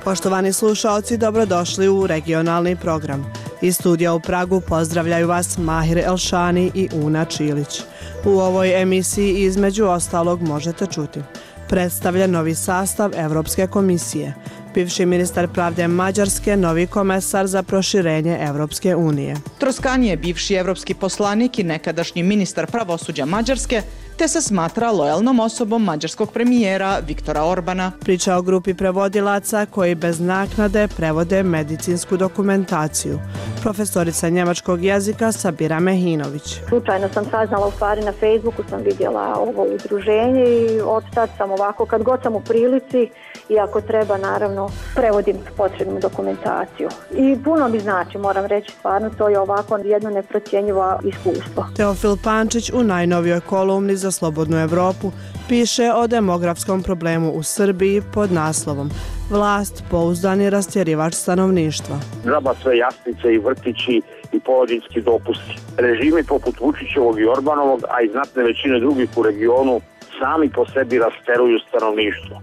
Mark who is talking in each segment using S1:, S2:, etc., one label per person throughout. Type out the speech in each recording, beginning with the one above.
S1: Poštovani slušaoci, dobrodošli u regionalni program. Iz studija u Pragu pozdravljaju vas Mahir Elšani i Una Čilić. U ovoj emisiji između ostalog možete čuti: predstavlja novi sastav Evropske komisije, bivši ministar pravde Mađarske, novi komesar za proširenje Evropske unije.
S2: Troskan je bivši evropski poslanik i nekadašnji ministar pravosuđa Mađarske, te se smatra lojalnom osobom mađarskog premijera Viktora Orbana.
S1: Priča o grupi prevodilaca koji bez naknade prevode medicinsku dokumentaciju. Profesorica njemačkog jezika Sabira Mehinović.
S3: Slučajno sam saznala, u stvari na Facebooku sam vidjela ovo udruženje i od tad sam ovako, kad god sam u prilici i ako treba, naravno, prevodim potrebnu dokumentaciju. I puno mi znači, moram reći, stvarno to je ovako jedno neprocjenjivo iskustvo.
S1: Teofil Pančić u najnovijoj kolumni za Slobodnu Evropu piše o demografskom problemu u Srbiji pod naslovom "Vlast pouzdani rastjerivač stanovništva".
S4: Džaba sve jaslice i vrtići i porodiljski dopusti. Režimi poput Vučićevog i Orbanovog, a i znatne većine drugih u regionu, sami po sebi rasteruju stanovništvo.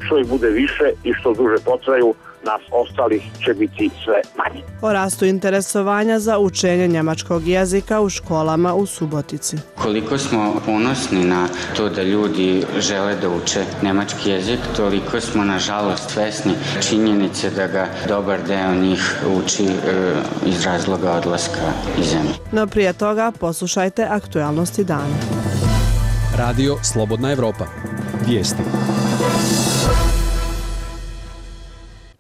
S4: Što ih bude više i što duže potraju, nas ostalih će biti sve manje.
S1: O rastu interesovanja za učenje njemačkog jezika u školama u Subotici.
S5: Koliko smo ponosni na to da ljudi žele da uče njemački jezik, toliko smo nažalost svesni činjenice da ga dobar deo njih uči iz razloga odlaska iz zemlje.
S1: No prije toga poslušajte aktualnosti dana.
S6: Radio Slobodna Evropa. Vijesti.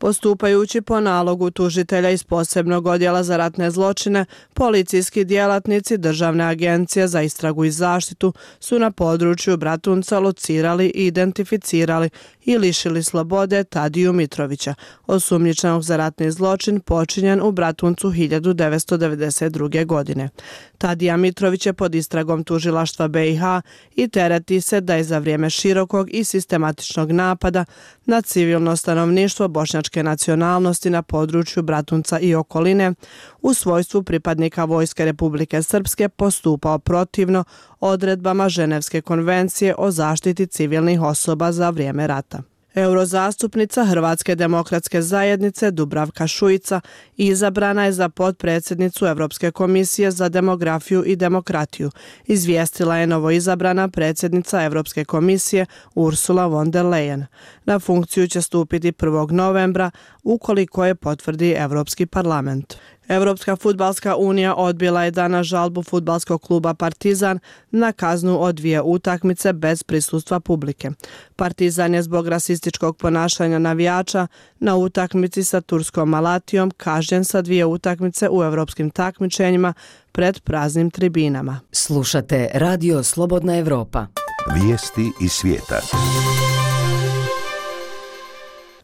S1: Postupajući po nalogu tužitelja iz posebnog odjela za ratne zločine, policijski djelatnici Državne agencije za istragu i zaštitu su na području Bratunca locirali i identificirali i lišili slobode Tadiju Mitrovića, osumnjičenog za ratni zločin počinjen u Bratuncu 1992. godine. Tadija Mitrović je pod istragom tužilaštva BiH i tereti se da je za vrijeme širokog i sistematičnog napada na civilno stanovništvo bošnjačke nacionalnosti na području Bratunca i okoline u svojstvu pripadnika Vojske Republike Srpske postupao protivno odredbama Ženevske konvencije o zaštiti civilnih osoba za vrijeme rata. Eurozastupnica Hrvatske demokratske zajednice Dubravka Šuica izabrana je za potpredsjednicu Evropske komisije za demografiju i demokratiju, izvijestila je novoizabrana predsjednica Evropske komisije Ursula von der Leyen. Na funkciju će stupiti 1. novembra ukoliko je potvrdi Evropski parlament. Evropska fudbalska unija odbila je danas žalbu fudbalskog kluba Partizan na kaznu od 2 utakmice bez prisustva publike. Partizan je zbog rasističkog ponašanja navijača na utakmici sa turskom Malatijom kažnjen sa 2 utakmice u evropskim takmičenjima pred praznim tribinama.
S7: Slušate Radio Slobodna Evropa.
S8: Vijesti iz svijeta.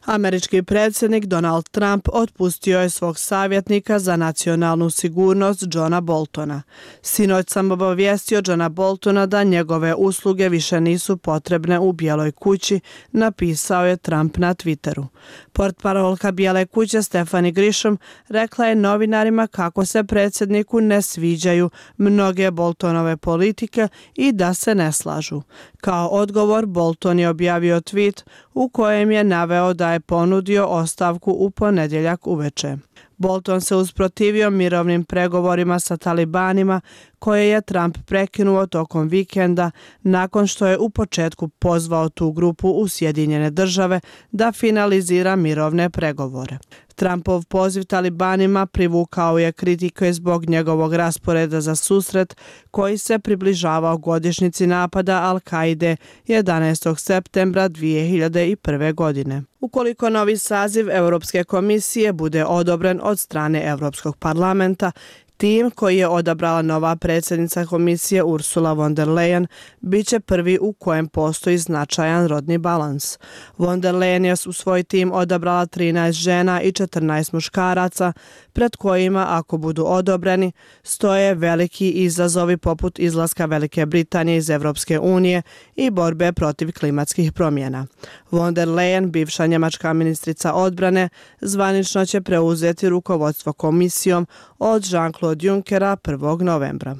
S1: Američki predsjednik Donald Trump otpustio je svog savjetnika za nacionalnu sigurnost Johna Boltona. Sinoć sam obavijestio Johna Boltona da njegove usluge više nisu potrebne u Bijeloj kući, napisao je Trump na Twitteru. Portparolka Bijele kuće Stephanie Grisham rekla je novinarima kako se predsjedniku ne sviđaju mnoge Boltonove politike i da se ne slažu. Kao odgovor, Bolton je objavio tweet u kojem je naveo da je ponudio ostavku u ponedjeljak uveče. Bolton se usprotivio mirovnim pregovorima sa talibanima koje je Trump prekinuo tokom vikenda nakon što je u početku pozvao tu grupu u Sjedinjene Države da finalizira mirovne pregovore. Trumpov poziv talibanima privukao je kritike zbog njegovog rasporeda za susret koji se približavao godišnjici napada Al-Kaide 11. septembra 2001. godine. Ukoliko novi saziv Europske komisije bude odobren od strane Europskog parlamenta, tim koji je odabrala nova predsjednica komisije Ursula von der Leyen bit će prvi u kojem postoji značajan rodni balans. Von der Leyen je u svoj tim odabrala 13 žena i 14 muškaraca, pred kojima, ako budu odobreni, stoje veliki izazovi poput izlaska Velike Britanije iz Evropske unije i borbe protiv klimatskih promjena. Von der Leyen, bivša njemačka ministrica odbrane, zvanično će preuzeti rukovodstvo komisijom od Jean-Claude Junckera 1. novembra.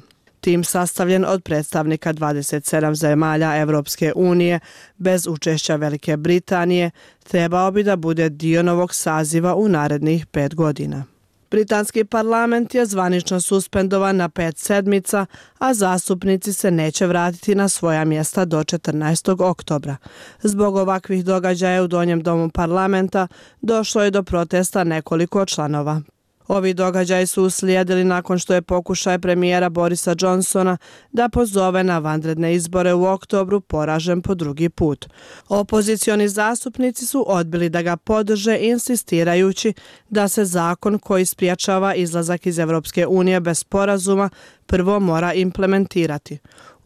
S1: Tim sastavljen od predstavnika 27 zemalja Evropske unije bez učešća Velike Britanije trebao bi da bude dio novog saziva u narednih 5 godina. Britanski parlament je zvanično suspendovan na 5 sedmica, a zastupnici se neće vratiti na svoja mjesta do 14. oktobra. Zbog ovakvih događaja u Donjem domu parlamenta došlo je do protesta nekoliko članova. Ovi događaji su uslijedili nakon što je pokušaj premijera Borisa Johnsona da pozove na vanredne izbore u oktobru poražen po drugi put. Opozicioni zastupnici su odbili da ga podrže, insistirajući da se zakon koji spriječava izlazak iz Evropske unije bez sporazuma prvo mora implementirati.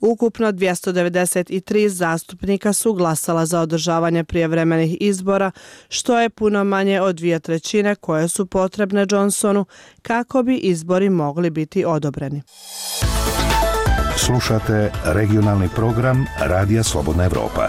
S1: Ukupno 293 zastupnika su glasala za održavanje prijevremenih izbora, što je puno manje od 2/3 koje su potrebne Johnsonu kako bi izbori mogli biti odobreni.
S8: Slušate regionalni program Radija Slobodna Evropa.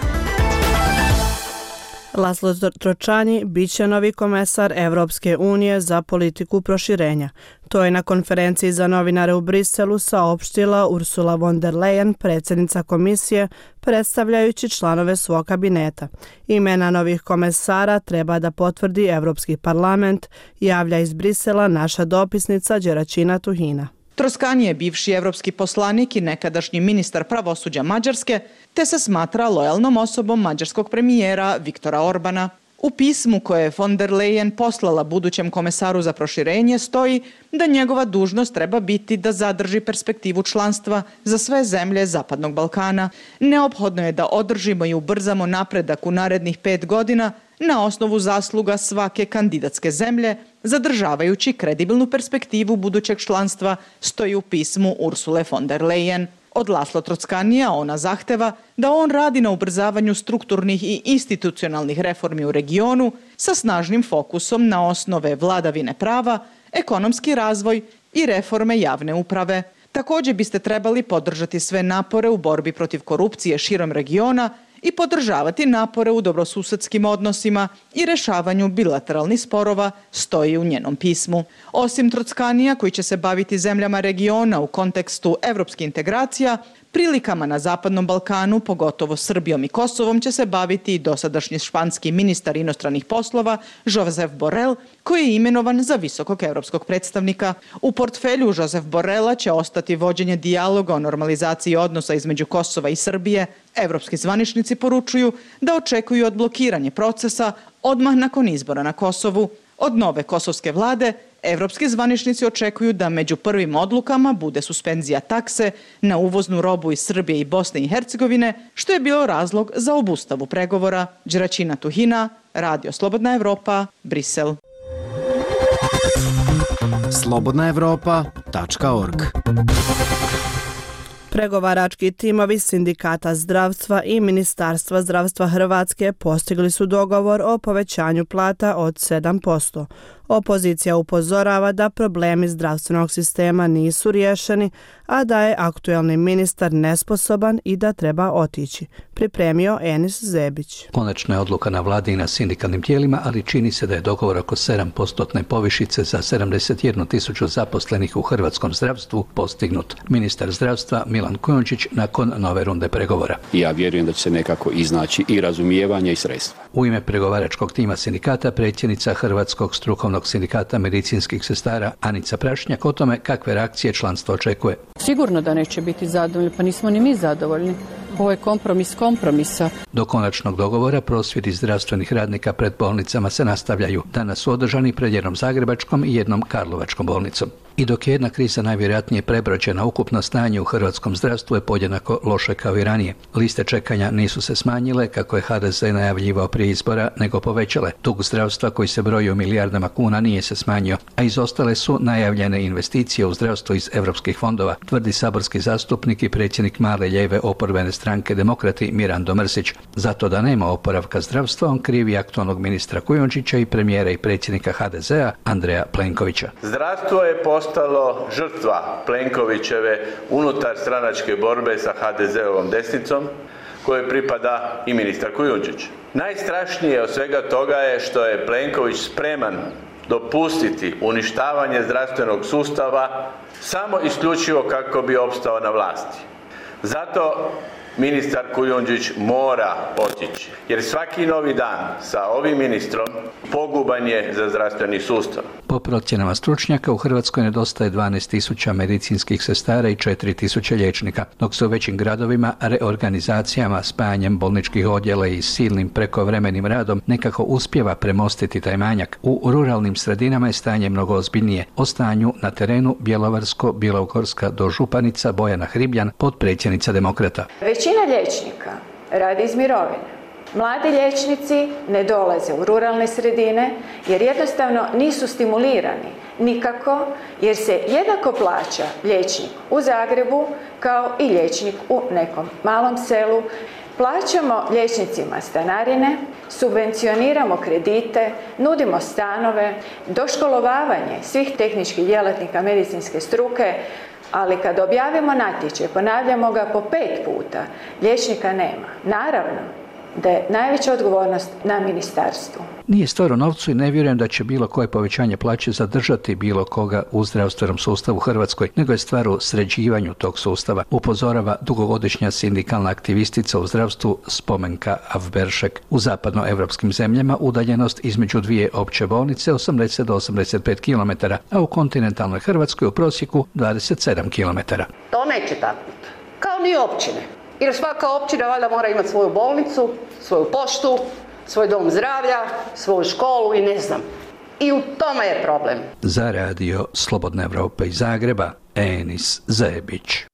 S1: Laszlo Tročani bit će novi komesar Evropske unije za politiku proširenja. To je na konferenciji za novinare u Briselu saopštila Ursula von der Leyen, predsjednica komisije, predstavljajući članove svog kabineta. Imena novih komesara treba da potvrdi Evropski parlament, javlja iz Brisela naša dopisnica Đeračina Tuhina.
S2: Troskani je bivši evropski poslanik i nekadašnji ministar pravosuđa Mađarske, te se smatra lojalnom osobom mađarskog premijera Viktora Orbana. U pismu koje je von der Leyen poslala budućem komesaru za proširenje stoji da njegova dužnost treba biti da zadrži perspektivu članstva za sve zemlje Zapadnog Balkana. Neophodno je da održimo i ubrzamo napredak u narednih 5 godina na osnovu zasluga svake kandidatske zemlje, zadržavajući kredibilnu perspektivu budućeg članstva, stoji u pismu Ursule von der Leyen. Od Laszlo Trockanija ona zahteva da on radi na ubrzavanju strukturnih i institucionalnih reformi u regionu sa snažnim fokusom na osnove vladavine prava, ekonomski razvoj i reforme javne uprave. Također biste trebali podržati sve napore u borbi protiv korupcije širom regiona i podržavati napore u dobrosusedskim odnosima i rešavanju bilateralnih sporova, stoji u njenom pismu. Osim Trockanija, koji će se baviti zemljama regiona u kontekstu evropskih integracija, prilikama na Zapadnom Balkanu, pogotovo Srbijom i Kosovom, će se baviti i dosadašnji španski ministar inostranih poslova Josep Borrell, koji je imenovan za visokog evropskog predstavnika. U portfelju Josep Borrella će ostati vođenje dijaloga o normalizaciji odnosa između Kosova i Srbije. Evropski zvaničnici poručuju da očekuju odblokiranje procesa odmah nakon izbora na Kosovu. Od nove kosovske vlade evropski zvaničnici očekuju da među prvim odlukama bude suspenzija takse na uvoznu robu iz Srbije i Bosne i Hercegovine, što je bio razlog za obustavu pregovora. Đeračina Tuhina, Radio Slobodna Evropa, Brisel.
S9: slobodnaevropa.org.
S1: Pregovarački timovi Sindikata zdravstva i Ministarstva zdravstva Hrvatske postigli su dogovor o povećanju plata od 7%. Opozicija upozorava da problemi zdravstvenog sistema nisu riješeni, a da je aktuelni ministar nesposoban i da treba otići. Pripremio Enis Zebić.
S10: Konačna je odluka na vladi i na sindikalnim tijelima, ali čini se da je dogovor oko 7% povišice za 71.000 zaposlenih u hrvatskom zdravstvu postignut. Ministar zdravstva Milan Kujundžić nakon nove runde pregovora.
S11: Ja vjerujem da će se nekako iznaći i razumijevanje i sredstva.
S10: U ime pregovaračkog tima sindikata predsjednica Hrvatskog strukovnog sindikata medicinskih sestara Anica Prašnjak o tome kakve reakcije članstvo očekuje.
S12: Sigurno da neće biti zadovoljni, pa nismo ni mi zadovoljni. Ovo je kompromis kompromisa.
S10: Do konačnog dogovora prosvjedi zdravstvenih radnika pred bolnicama se nastavljaju. Danas su održani pred jednom zagrebačkom i jednom karlovačkom bolnicom. I dok je jedna kriza najvjerojatnije prebrođena, ukupno stanje u hrvatskom zdravstvu je podjednako loše kao i ranije. Liste čekanja nisu se smanjile, kako je HDZ najavljivao prije izbora, nego povećale. Dug zdravstva koji se broji u milijardama kuna nije se smanjio, a izostale su najavljene investicije u zdravstvo iz europskih fondova, tvrdi saborski zastupnik i predsjednik male lijeve oporbene stranke Demokrati Mirando Mrsić. Zato da nema oporavka zdravstva, on krivi aktualnog ministra Kujundžića i premijera i predsjednika HDZ-a Andreja Plenkovića.
S13: Zdravstvo je postalo žrtva Plenkovićeve unutar stranačke borbe sa HDZ-ovom desnicom, kojoj pripada i ministar Kujundžić. Najstrašnije od svega toga je što je Plenković spreman dopustiti uništavanje zdravstvenog sustava samo isključivo kako bi opstao na vlasti. Zato ministar Kujundžić mora otići, jer svaki novi dan sa ovim ministrom poguban je za zdravstveni sustav.
S10: Po procjenama stručnjaka u Hrvatskoj nedostaje 12.000 medicinskih sestara i 4.000 liječnika, dok se u većim gradovima reorganizacijama, spajanjem bolničkih odjela i silnim prekovremenim radom nekako uspijeva premostiti taj manjak. U ruralnim sredinama je stanje mnogo ozbiljnije. O stanju na terenu Bjelovarsko-bilogorska dožupanica Bojana Hribljan, potpredsjednica Demokrata.
S9: Većina liječnika radi iz mirovine. Mladi liječnici ne dolaze u ruralne sredine jer jednostavno nisu stimulirani nikako, jer se jednako plaća liječnik u Zagrebu kao i liječnik u nekom malom selu. Plaćamo liječnicima stanarine, subvencioniramo kredite, nudimo stanove, doškolovavanje svih tehničkih djelatnika medicinske struke, ali kad objavimo natječaj, ponavljamo ga po 5 puta, liječnika nema. Naravno da je najveća odgovornost na ministarstvu.
S10: Nije stvar u novcu i ne vjerujem da će bilo koje povećanje plaće zadržati bilo koga u zdravstvenom sustavu u Hrvatskoj, nego je stvar u sređivanju tog sustava, upozorava dugogodišnja sindikalna aktivistica u zdravstvu Spomenka Avberšek. U zapadnoevropskim zemljama udaljenost između dvije opće bolnice 80 do 85 km, a u kontinentalnoj Hrvatskoj u prosjeku 27 km.
S14: To neće tako biti. Kao ni općine. Jer svaka općina valjda mora imati svoju bolnicu, svoju poštu, svoj dom zdravlja, svoju školu i ne znam. I u tome je problem.
S10: Za radio Slobodna Evropa iz Zagreba, Enis Zebić.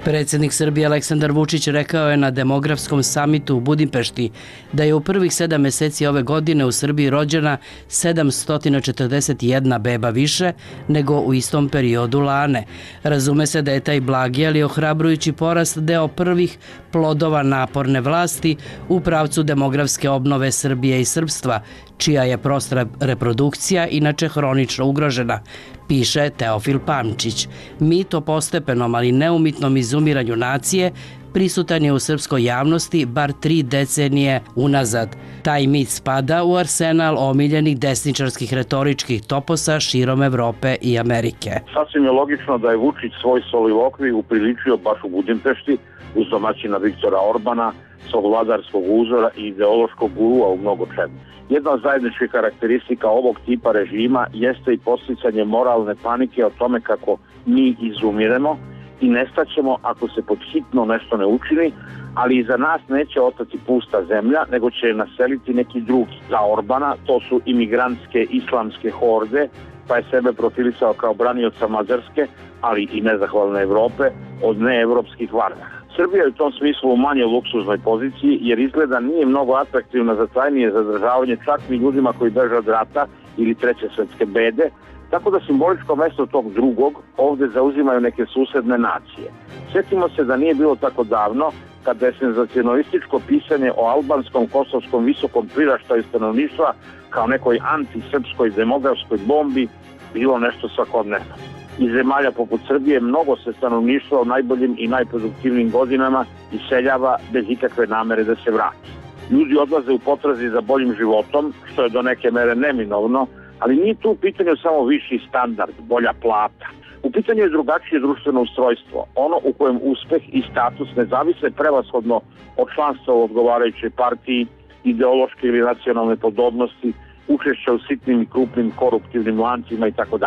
S15: Predsjednik Srbije Aleksandar Vučić rekao je na demografskom samitu u Budimpešti da je u prvih 7 mjeseci ove godine u Srbiji rođena 741 beba više nego u istom periodu lane. Razume se da je taj blagi, ali ohrabrujući porast deo prvih plodova naporne vlasti u pravcu demografske obnove Srbije i srpstva, čija je prosta reprodukcija inače hronično ugrožena, piše Teofil Pančić. Mit o postepenom, ali neumitnom izumiranju nacije prisutan je u srpskoj javnosti bar 3 decenije unazad. Taj mit spada u arsenal omiljenih desničarskih retoričkih toposa širom Evrope i Amerike.
S4: Sasvim je logično da je Vučić svoj solilokvi upriličio baš u Budimpešti uz domaćina Viktora Orbana, svog vladarskog uzora i ideološkog gurua u mnogo čemu. Jedna od zajedničkih karakteristika ovog tipa režima jeste i podsticanje moralne panike o tome kako mi izumiremo i nestaćemo ako se pod hitno nešto ne učini, ali iza nas neće ostati pusta zemlja, nego će je naseliti neki drugi. Za Orbana to su imigrantske islamske horde, pa je sebe profilisao kao branioca Mađarske, ali i nezahvalne Evrope od neevropskih varnaka. Srbija je u tom smislu u manje luksuznoj poziciji jer izgleda nije mnogo atraktivna za trajnije zadržavanje čak ni ljudima koji beže od rata ili treće svjetske bede, tako da simboličko mesto tog drugog ovdje zauzimaju neke susedne nacije. Sjetimo se da nije bilo tako davno kada je senzacionalističko pisanje o albanskom kosovskom visokom priraštaju stanovništva kao nekoj antisrpskoj demografskoj bombi bilo nešto svakodnevno. Iz zemalja poput Srbije mnogo se stanovništva u najboljim i najproduktivnijim godinama iseljava bez ikakve namere da se vrati. Ljudi odlaze u potrazi za boljim životom, što je do neke mere neminovno, ali nije tu u pitanju samo viši standard, bolja plata. U pitanju je drugačije društveno ustrojstvo, ono u kojem uspeh i status ne zavise prevashodno od članstva u odgovarajućoj partiji, ideološke ili nacionalne podobnosti, učešća u sitnim i krupnim koruptivnim lancima itd.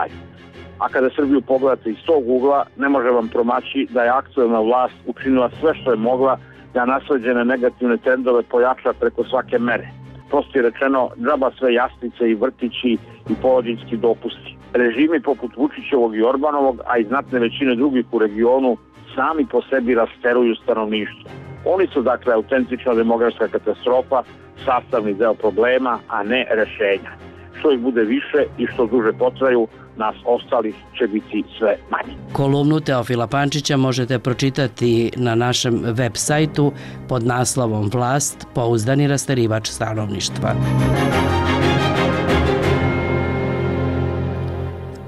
S4: A kada Srbiju pogledate iz tog ugla, ne može vam promaći da je aktuelna vlast učinila sve što je mogla da nasleđene negativne trendove pojača preko svake mere. Prosto rečeno, džaba sve jaslice i vrtići i porodiljski dopusti. Režimi poput Vučićevog i Orbanovog, a i znatne većine drugih u regionu, sami po sebi rasteruju stanovništvo. Oni su dakle autentična demografska katastrofa, sastavni deo problema, a ne rešenja. Što ih bude više i što duže potraju, nas ostalih će biti sve manje.
S15: Kolumnu Teofila Pančića možete pročitati na našem web sajtu pod naslovom Vlast, pouzdani rasterivač stanovništva.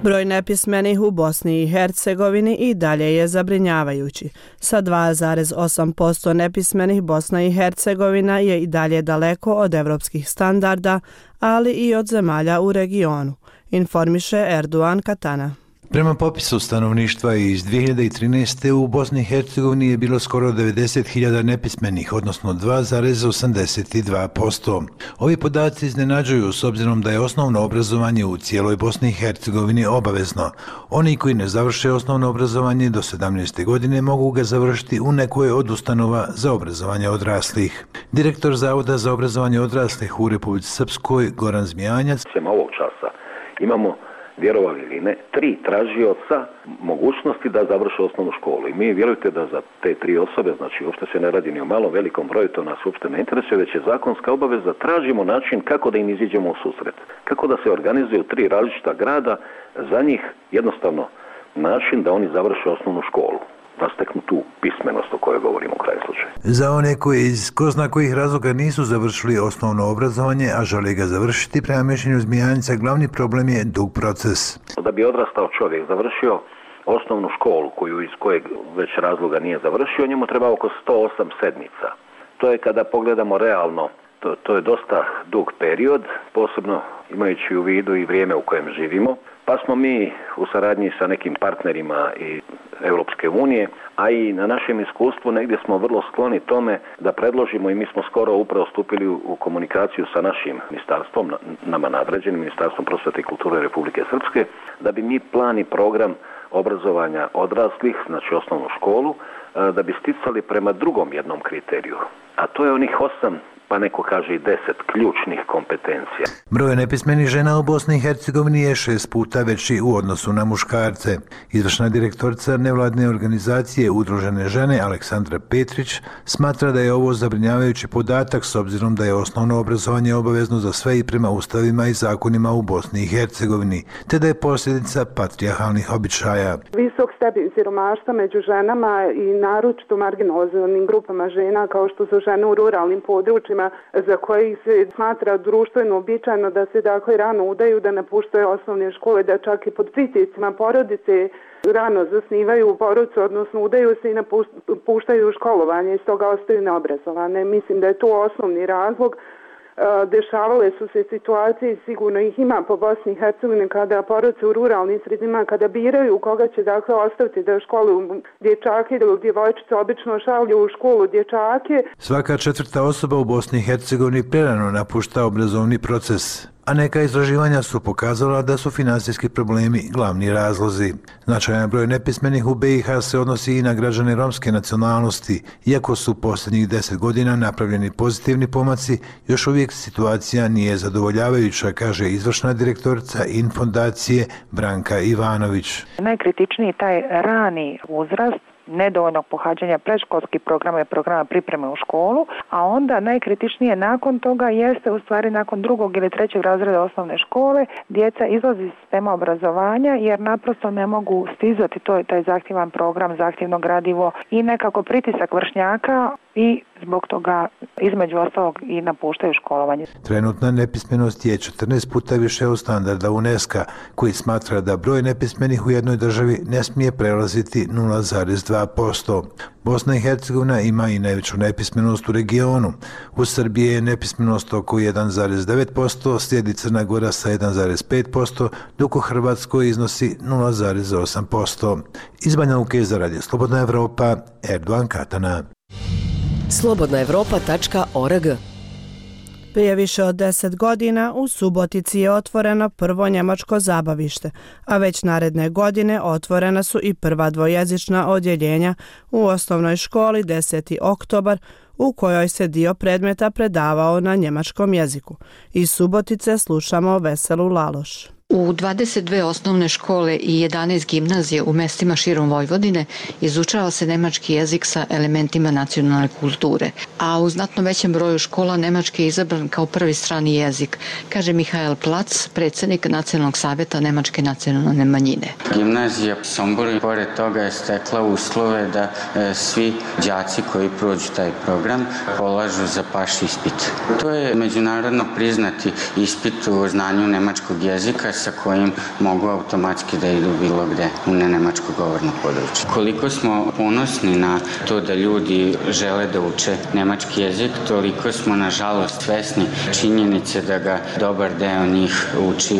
S1: Broj nepismenih u Bosni i Hercegovini i dalje je zabrinjavajući. Sa 2,8% nepismenih Bosna i Hercegovina je i dalje daleko od evropskih standarda, ali i od zemalja u regionu, informiše Erdogan Katana.
S16: Prema popisu stanovništva iz 2013. u Bosni i Hercegovini je bilo skoro 90.000 nepismenih, odnosno 2,82%. Ovi podaci iznenađuju s obzirom da je osnovno obrazovanje u cijeloj Bosni i Hercegovini obavezno. Oni koji ne završe osnovno obrazovanje do 17. godine mogu ga završiti u nekoj od ustanova za obrazovanje odraslih. Direktor Zavoda za obrazovanje odraslih u Republici Srpskoj, Goran Zmijanjac.
S17: Ovog časa imamo, vjerovali ili ne, 3 tražioca mogućnosti da završe osnovnu školu. I mi vjerujte da za te 3 osobe, znači uopšte se ne radi ni o malom velikom broju, to nas uopšte ne interesuje, već je zakonska obaveza, tražimo način kako da im iziđemo u susret. Kako da se organizuju 3 različita grada, za njih jednostavno način da oni završe osnovnu školu, da steknu tu pismenost o kojoj govorimo u kraju slučaju.
S16: Za one koji iz ko zna kojih razloga nisu završili osnovno obrazovanje, a žele ga završiti, prema mišljenju Zmijanca, glavni problem je dug proces.
S17: Da bi odrastao čovjek završio osnovnu školu, koju iz kojeg već razloga nije završio, njemu treba oko 108 sedmica. To je, kada pogledamo realno, to je dosta dug period, posebno imajući u vidu i vrijeme u kojem živimo. Pa smo mi u saradnji sa nekim partnerima iz Europske unije, a i na našem iskustvu negdje smo vrlo skloni tome da predložimo, i mi smo skoro upravo stupili u komunikaciju sa našim ministarstvom, nama nadređenim Ministarstvom prosvjete i kulture Republike Srpske, da bi mi plan i program obrazovanja odraslih, znači osnovnu školu, da bi sticali prema drugom jednom kriteriju, a to je onih 8, pa neko kaže i 10 ključnih kompetencija.
S16: Broj nepismenih žena u Bosni i Hercegovini je 6 puta veći u odnosu na muškarce. Izvršna direktorica nevladine organizacije Udružene žene Aleksandra Petrić smatra da je ovo zabrinjavajući podatak s obzirom da je osnovno obrazovanje obavezno za sve i prema ustavima i zakonima u Bosni i Hercegovini, te da je posljedica patrijarhalnih običaja.
S18: Visok stepen siromaštva među ženama i naročito marginalizovanim grupama žena kao što su žene u ruralnim područjima, za koji se smatra društveno uobičajeno da se dakle rano udaju, da napuštaju osnovne škole, da čak i pod pritiscima porodice rano zasnivaju porodicu, odnosno udaju se i napuštaju školovanje i stoga ostaju neobrazovane. Mislim da je to osnovni razlog. Dešavale su se situacije, sigurno ih ima po Bosni i Hercegovini, kada porodice u ruralnim sredinama, kada biraju koga će dakle ostaviti da školuju dječake ili djevojčice, obično šalju u školu dječake.
S16: Svaka 4. osoba u Bosni i Hercegovini prerano napušta obrazovni proces, a neka istraživanja su pokazala da su finansijski problemi glavni razlozi. Značajan broj nepismenih u BiH se odnosi i na građane romske nacionalnosti. Iako su posljednjih 10 godina napravljeni pozitivni pomaci, još uvijek situacija nije zadovoljavajuća, kaže izvršna direktorica Infondacije Branka Ivanović.
S19: Najkritičniji taj rani uzrast, nedovoljnog pohađanja predškolskih programa i programa pripreme u školu, a onda najkritičnije nakon toga jeste u stvari nakon 2. ili 3. razreda osnovne škole djeca izlaze iz sistema obrazovanja jer naprosto ne mogu stizati taj zahtjevan program, zahtjevno gradivo i nekako pritisak vršnjaka i zbog toga između ostalog i napuštaju školovanje.
S16: Trenutna nepismenost je 14 puta više od standarda UNESCO-a, koji smatra da broj nepismenih u jednoj državi ne smije prelaziti 0,2%. Bosna i Hercegovina ima i najveću nepismenost u regionu. U Srbiji je nepismenost oko 1,9%, slijedi Crna Gora sa 1,5%, dok u Hrvatskoj iznosi 0,8%. Iz Banja Luke za Radio Slobodna Evropa, Erdogan Katana.
S7: slobodnaevropa.org.
S1: Prije više od 10 godina u Subotici je otvoreno prvo njemačko zabavište, a već naredne godine otvorena su i prva dvojezična odjeljenja u osnovnoj školi 10. oktobar, u kojoj se dio predmeta predavao na njemačkom jeziku. Iz Subotice slušamo Veselu Laloš.
S20: U 22 osnovne škole i 11 gimnazije u mestima širom Vojvodine izučava se nemački jezik sa elementima nacionalne kulture, a u znatno većem broju škola nemački je izabran kao prvi strani jezik, kaže Mihael Plac, predsjednik Nacionalnog savjeta nemačke nacionalne manjine.
S5: Gimnazija Sombor pored toga je stekla uslove da svi đaci koji prođu taj program polažu za paš ispit. To je međunarodno priznati ispit u znanju nemačkog jezika sa kojim mogu automatski da idu bilo gde u nenemačko govorno područje. Koliko smo ponosni na to da ljudi žele da uče nemački jezik, toliko smo nažalost svesni činjenice da ga dobar deo njih uči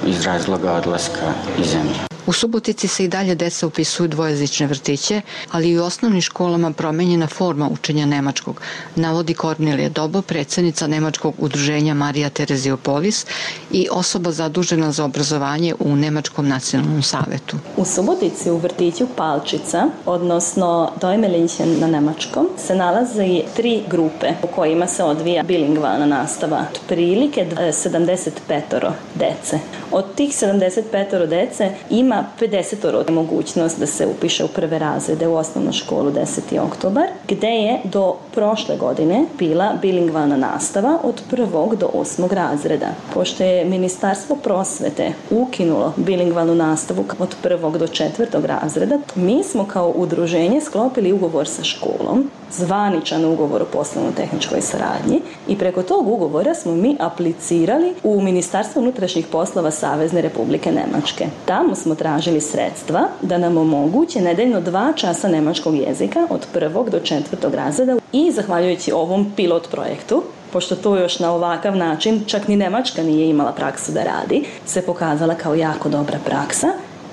S5: iz razloga odlaska iz zemlje.
S20: U Subotici se i dalje deca upisuju dvojezične vrtiće, ali i u osnovnim školama promenjena forma učenja nemačkog, navodi Kornelija Dobo, predsjednica Nemačkog udruženja Marija Tereziopolis i osoba zadužena za obrazovanje u Nemačkom nacionalnom savetu.
S21: U Subotici u vrtiću Palčica, odnosno Dojmelinchen na nemačkom, se nalaze 3 grupe u kojima se odvija bilingvalna nastava. Otprilike 75 dece. Od tih 75 dece ima 50 mogućnost da se upiše u prve razrede u osnovnu školu 10. oktobar, gde je do prošle godine bila bilingvalna nastava od 1. do 8. razreda. Pošto je Ministarstvo prosvete ukinulo bilingvalnu nastavu od 1. do 4. razreda, mi smo kao udruženje sklopili ugovor sa školom, zvaničan ugovor o poslovno-tehničkoj saradnji i preko tog ugovora smo mi aplicirali u Ministarstvo unutrašnjih poslova Savezne Republike Nemačke. Tamo smo tražili sredstva da nam omoguće nedeljno 2 časa nemačkog jezika od 1. do 4. razreda i zahvaljujući ovom pilot projektu, pošto to još na ovakav način čak ni Nemačka nije imala praksu da radi, se pokazala kao jako dobra praksa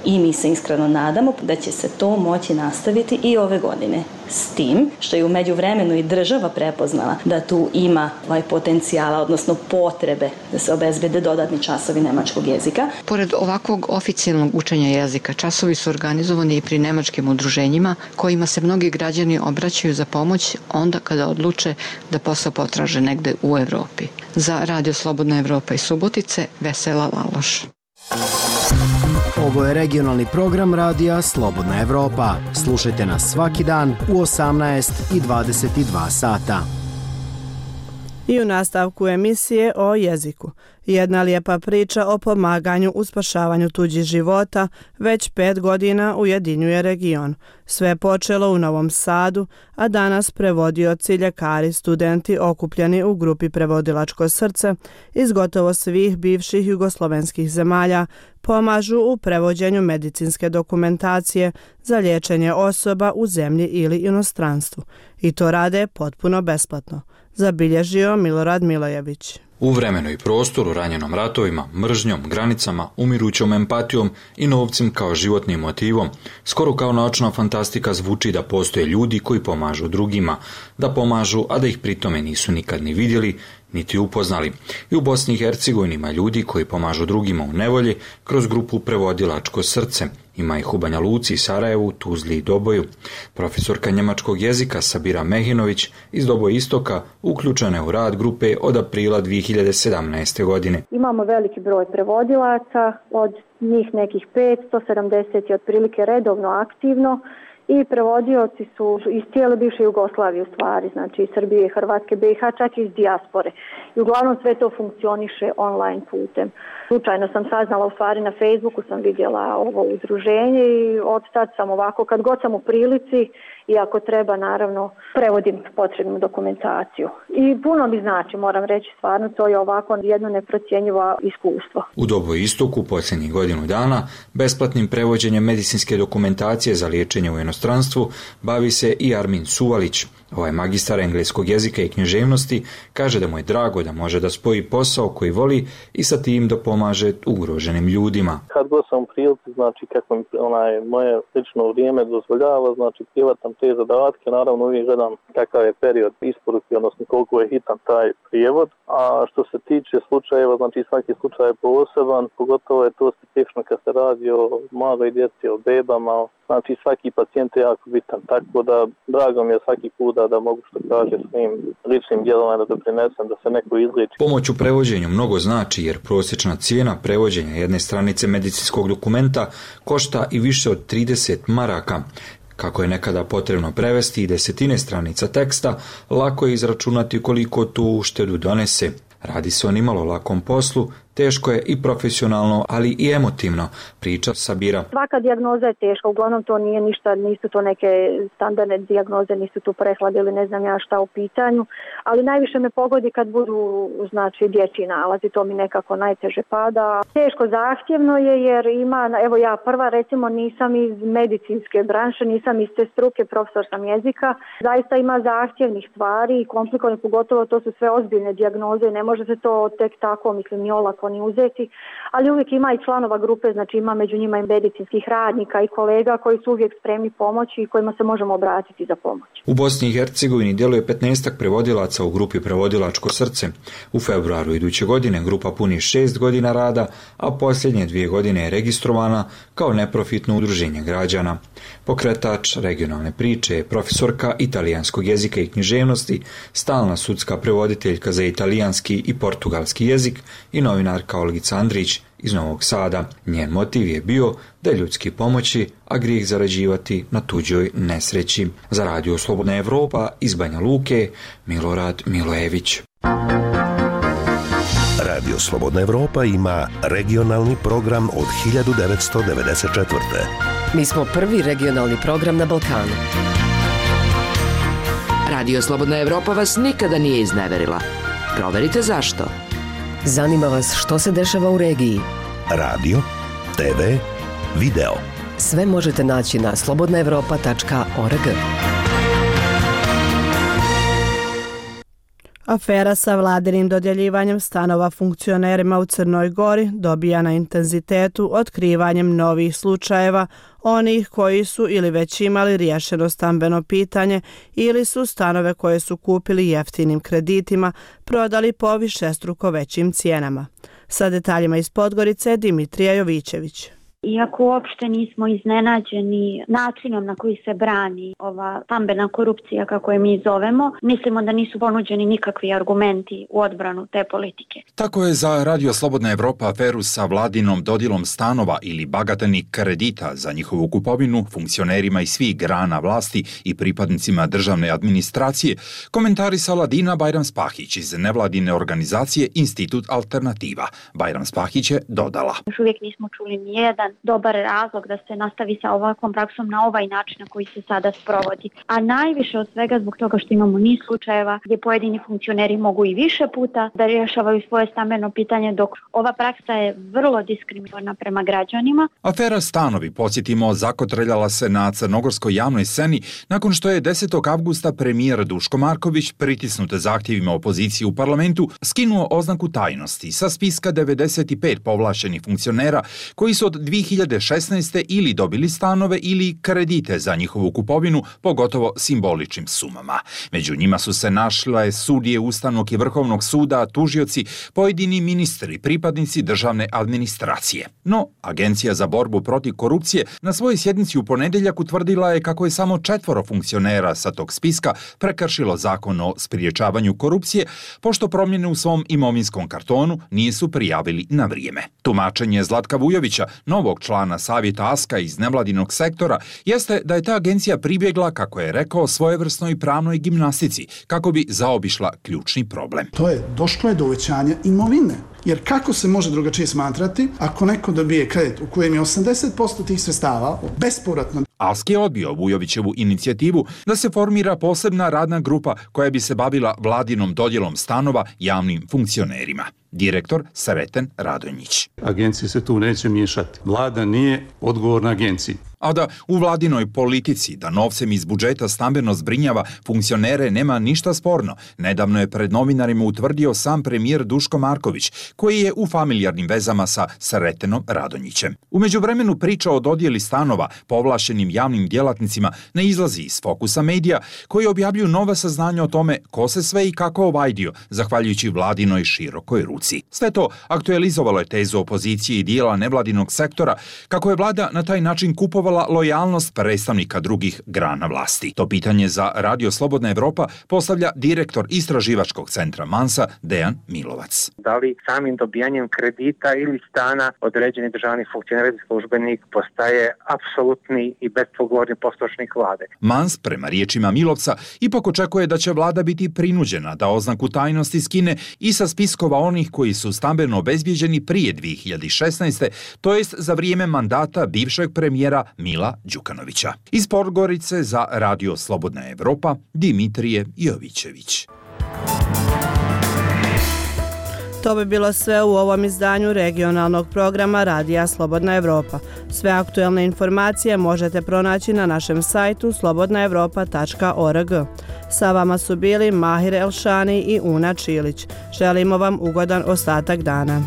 S21: i mi se iskreno nadamo da će se to moći nastaviti i ove godine. S tim što je u međuvremenu i država prepoznala da tu ima potencijala, odnosno potrebe da se obezbede dodatni časovi nemačkog jezika.
S20: Pored ovakvog oficijalnog učenja jezika, časovi su organizovani i pri nemačkim udruženjima kojima se mnogi građani obraćaju za pomoć onda kada odluče da posao potraže negde u Evropi. Za Radio Slobodna Evropa iz Subotice, Vesela Laloš.
S22: Ovo je regionalni program Radija Slobodna Evropa. Slušajte nas svaki dan u 18 i 22 sata.
S1: I u nastavku emisije o jeziku. Jedna lijepa priča o pomaganju u spašavanju tuđih života već 5 godina ujedinjuje region. Sve je počelo u Novom Sadu, a danas prevodioci, ljekari, studenti okupljeni u grupi Prevodilačko srce iz gotovo svih bivših jugoslovenskih zemalja pomažu u prevođenju medicinske dokumentacije za liječenje osoba u zemlji ili inostranstvu. I to rade potpuno besplatno, zabilježio Milorad Milojević.
S23: U vremenu i prostoru ranjenom ratovima, mržnjom, granicama, umirućom empatijom i novcem kao životnim motivom, skoro kao naučna fantastika zvuči da postoje ljudi koji pomažu drugima, da pomažu, a da ih pritome nisu nikad ni vidjeli, niti upoznali. I u Bosni i Hercegovini ima ljudi koji pomažu drugima u nevolji kroz grupu Prevodilačko srce. Ima ih u Banja Luci, Sarajevu, Tuzli i Doboju. Profesorka njemačkog jezika Sabira Mehinović iz Doboja Istoka uključena je u rad grupe od aprila 2017. godine.
S3: Imamo veliki broj prevodilaca, od njih nekih 570 je otprilike redovno aktivno i prevodioci su iz cijele bivše Jugoslavije u stvari, znači iz Srbije, Hrvatske, BiH, čak i iz dijaspore. I uglavnom sve to funkcioniše online putem. Slučajno sam saznala, u stvari na Facebooku sam vidjela ovo udruženje i od tad sam ovako, kad god sam u prilici i ako treba, naravno, prevodim potrebnu dokumentaciju. I puno mi znači, moram reći, stvarno, to je ovako jedno neprocjenjivo iskustvo.
S23: U Doboju Istoku posljednjih godinu dana besplatnim prevođenjem medicinske dokumentacije za liječenje u inostranstvu bavi se i Armin Suvalić. Ovaj magistar engleskog jezika i književnosti kaže da mu je drago da može da spoji posao koji voli i sa tim da pomaže ugroženim ljudima.
S24: Kad god sam u prilici, znači kako mi moje lično vrijeme dozvoljava, znači privatam te zadatke, naravno uvijek gledam kakav je period isporuke, odnosno koliko je hitan taj prijevod. A što se tiče slučajeva, znači svaki slučaj je poseban, pogotovo je to specifično kad se radi o maloj djeci, o bebama, znači svaki pacijent je jako bitan, tako da drago mi je svaki put da mogu što kaže svojim ličnim djelovanjem da doprinesem da se neko izliči.
S23: Pomoć u prevođenju mnogo znači jer prosječna cijena prevođenja jedne stranice medicinskog dokumenta košta i više od 30 maraka. Kako je nekada potrebno prevesti i 10 stranica teksta, lako je izračunati koliko tu uštedu donese. Radi se o nimalo lakom poslu, teško je i profesionalno, ali i emotivno, priča Sabira.
S3: Svaka dijagnoza je teška, uglavnom to nije ništa, nisu to neke standardne dijagnoze, nisu tu prehlade ili ne znam ja šta u pitanju, ali najviše me pogodi kad budu dječji nalazi, to mi nekako najteže pada. Teško zahtjevno je jer ima, evo ja prva recimo nisam iz medicinske branše, nisam iz te struke, profesor sam jezika, zaista ima zahtjevnih stvari i komplikovanih, pogotovo to su sve ozbiljne dijagnoze i ne može se to tek tako, ni olako ni uzeti, ali uvijek ima i članova grupe, znači ima među njima i medicinskih radnika i kolega koji su uvijek spremni pomoći i kojima se možemo obratiti za pomoć.
S23: U Bosni i Hercegovini djeluje 15 prevodilaca u grupi Prevodilačko srce. U februaru iduće godine grupa puni 6 godina rada, a posljednje 2 godine je registrovana kao neprofitno udruženje građana. Pokretač regionalne priče je profesorka italijanskog jezika i književnosti, stalna sudska prevoditeljka za italijanski i portugalski jezik i novinarka Olgica Andrić iz Novog Sada. Njen motiv je bio da ljudski pomoći, a grijeh zarađivati na tuđoj nesreći. Za Radio Slobodna Evropa iz Banja Luke, Milorad Milojević.
S2: Radio Slobodna Evropa ima regionalni program od 1994.
S7: Mi smo prvi regionalni program na Balkanu.
S6: Radio Slobodna Evropa vas nikada nije izneverila. Proverite zašto.
S7: Zanima vas što se dešava u regiji.
S2: Radio, TV, video.
S7: Sve možete naći na slobodnaevropa.org.
S1: Afera sa vladinim dodjeljivanjem stanova funkcionerima u Crnoj Gori dobija na intenzitetu otkrivanjem novih slučajeva, onih koji su ili već imali riješeno stambeno pitanje ili su stanove koje su kupili jeftinim kreditima prodali po višestruko većim cijenama. Sa detaljima iz Podgorice, Dimitrija Jovićević.
S8: Iako uopšte nismo iznenađeni načinom na koji se brani ova stambena korupcija, kako je mi zovemo, mislimo da nisu ponuđeni nikakvi argumenti u odbranu te politike.
S11: Tako je za Radio Slobodna Evropa aferu sa vladinom dodjelom stanova ili bagatelnih kredita za njihovu kupovinu funkcionerima iz svih grana vlasti i pripadnicima državne administracije komentarisala Dina Bajram-Spahić iz nevladine organizacije Institut Alternativa. Bajram-Spahić je dodala:
S8: Još uvijek nismo čuli nijedan dobar razlog da se nastavi sa ovakvom praksom na ovaj način na koji se sada sprovodi. A najviše od svega zbog toga što imamo niz slučajeva gdje pojedini funkcioneri mogu i više puta da rješavaju svoje stambeno pitanje, dok ova praksa je vrlo diskriminatorna prema građanima.
S11: Afera stanovi, podsjetimo, zakotreljala se na crnogorskoj javnoj sceni nakon što je 10. avgusta premijer Duško Marković, pritisnut zahtjevima opozicije u parlamentu, skinuo oznaku tajnosti sa spiska 95 povlaštenih funkcionera koji su od 2016. ili dobili stanove ili kredite za njihovu kupovinu po gotovo simboličnim sumama. Među njima su se našle sudije Ustavnog i Vrhovnog suda, tužioci, pojedini ministri, pripadnici državne administracije. No, Agencija za borbu protiv korupcije na svojoj sjednici u ponedjeljak utvrdila je kako je samo 4 funkcionera sa tog spiska prekršilo zakon o spriječavanju korupcije, pošto promjene u svom imovinskom kartonu nisu prijavili na vrijeme. Tumačenje Zlatka Vujovića, novog člana savjeta ASKA iz nevladinog sektora, jeste da je ta agencija pribjegla, kako je rekao, svojevrsnoj pravnoj gimnastici, kako bi zaobišla ključni problem.
S25: Došlo je do uvećanja imovine. Jer kako se može drugačije smatrati ako neko dobije kredit u kojem je 80% tih sredstava bespovratno?
S11: ASK je odbio Vujovićevu inicijativu da se formira posebna radna grupa koja bi se bavila vladinom dodjelom stanova javnim funkcionerima. Direktor Sreten Radonjić.
S26: Agencija se tu neće miješati. Vlada nije odgovorna agenciji.
S11: A da u vladinoj politici da novcem iz budžeta stambeno zbrinjava funkcionere nema ništa sporno. Nedavno je pred novinarima utvrdio sam premijer Duško Marković, koji je u familijarnim vezama sa Sretenom Radonjićem. U međuvremenu priča o dodjeli stanova povlaštenim javnim djelatnicima ne izlazi iz fokusa medija, koji objavljuju nova saznanja o tome ko se sve i kako ovajdio, zahvaljujući vladinoj širokoj ruci. Sve to aktualizovalo je tezu opozicije i dijela nevladinog sektora, kako je vlada na taj način kupovala ispitivala lojalnost predstavnika drugih grana vlasti. To pitanje za Radio Slobodna Evropa postavlja direktor istraživačkog centra Mansa Dejan Milovac.
S4: Da li samim dobijanjem kredita ili stana određeni državni funkcioner ili službenik postaje apsolutni i bespogovorni poslušnik vlade?
S11: Mans, prema riječima Milovca, ipak očekuje da će vlada biti prinuđena da oznaku tajnosti skine i sa spiskova onih koji su stambeno obezbijeđeni prije 2016. to jest za vrijeme mandata bivšeg premijera Mila Đukanovića. Iz Podgorice za Radio Slobodna Evropa, Dimitrije Jovićević.
S1: To bi bilo sve u ovom izdanju regionalnog programa Radija Slobodna Evropa. Sve aktuelne informacije možete pronaći na našem sajtu slobodnaevropa.org. Sa vama su bili Mahir Elšani i Una Čilić. Želimo vam ugodan ostatak dana.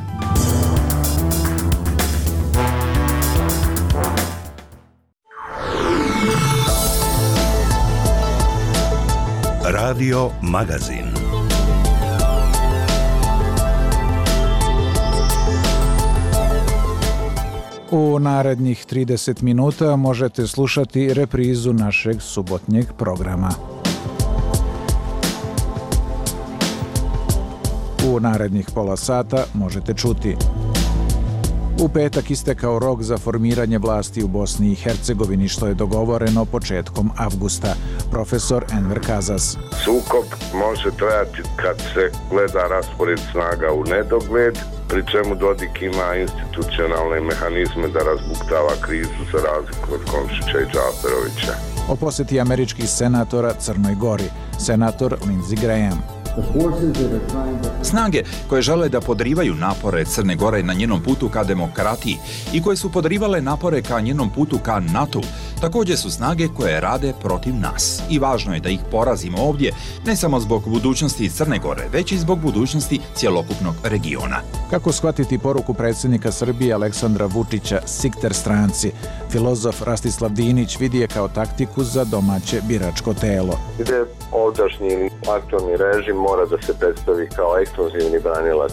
S2: Radio Magazin.
S9: U narednih 30 minuta možete slušati reprizu našeg subotnjeg programa. U narednih pola sata možete čuti: u petak istekao rok za formiranje vlasti u Bosni i Hercegovini, što je dogovoreno početkom avgusta. Profesor Enver Kazas.
S10: Sukob može trajati kad se gleda raspored snaga u nedogled, pri čemu Dodik ima institucionalne mehanizme da razbuktava krizu za razliku od Komšića i Džaferovića.
S9: O posjeti američkih senatora Crnoj Gori. Senator Lindsey Graham.
S11: Snage koje žele da podrivaju napore Crne Gore na njenom putu ka demokratiji i koje su podrivale napore ka njenom putu ka NATO, također su snage koje rade protiv nas. I važno je da ih porazimo ovdje, ne samo zbog budućnosti Crne Gore, već i zbog budućnosti cjelokupnog regiona.
S9: Kako shvatiti poruku predsjednika Srbije Aleksandra Vučića Sikter stranci? Filozof Rastislav Dinić vidi je kao taktiku za domaće biračko telo.
S10: Gdje ovdašnji aktualni režim mora da se predstavi kao ekskluzivni branilac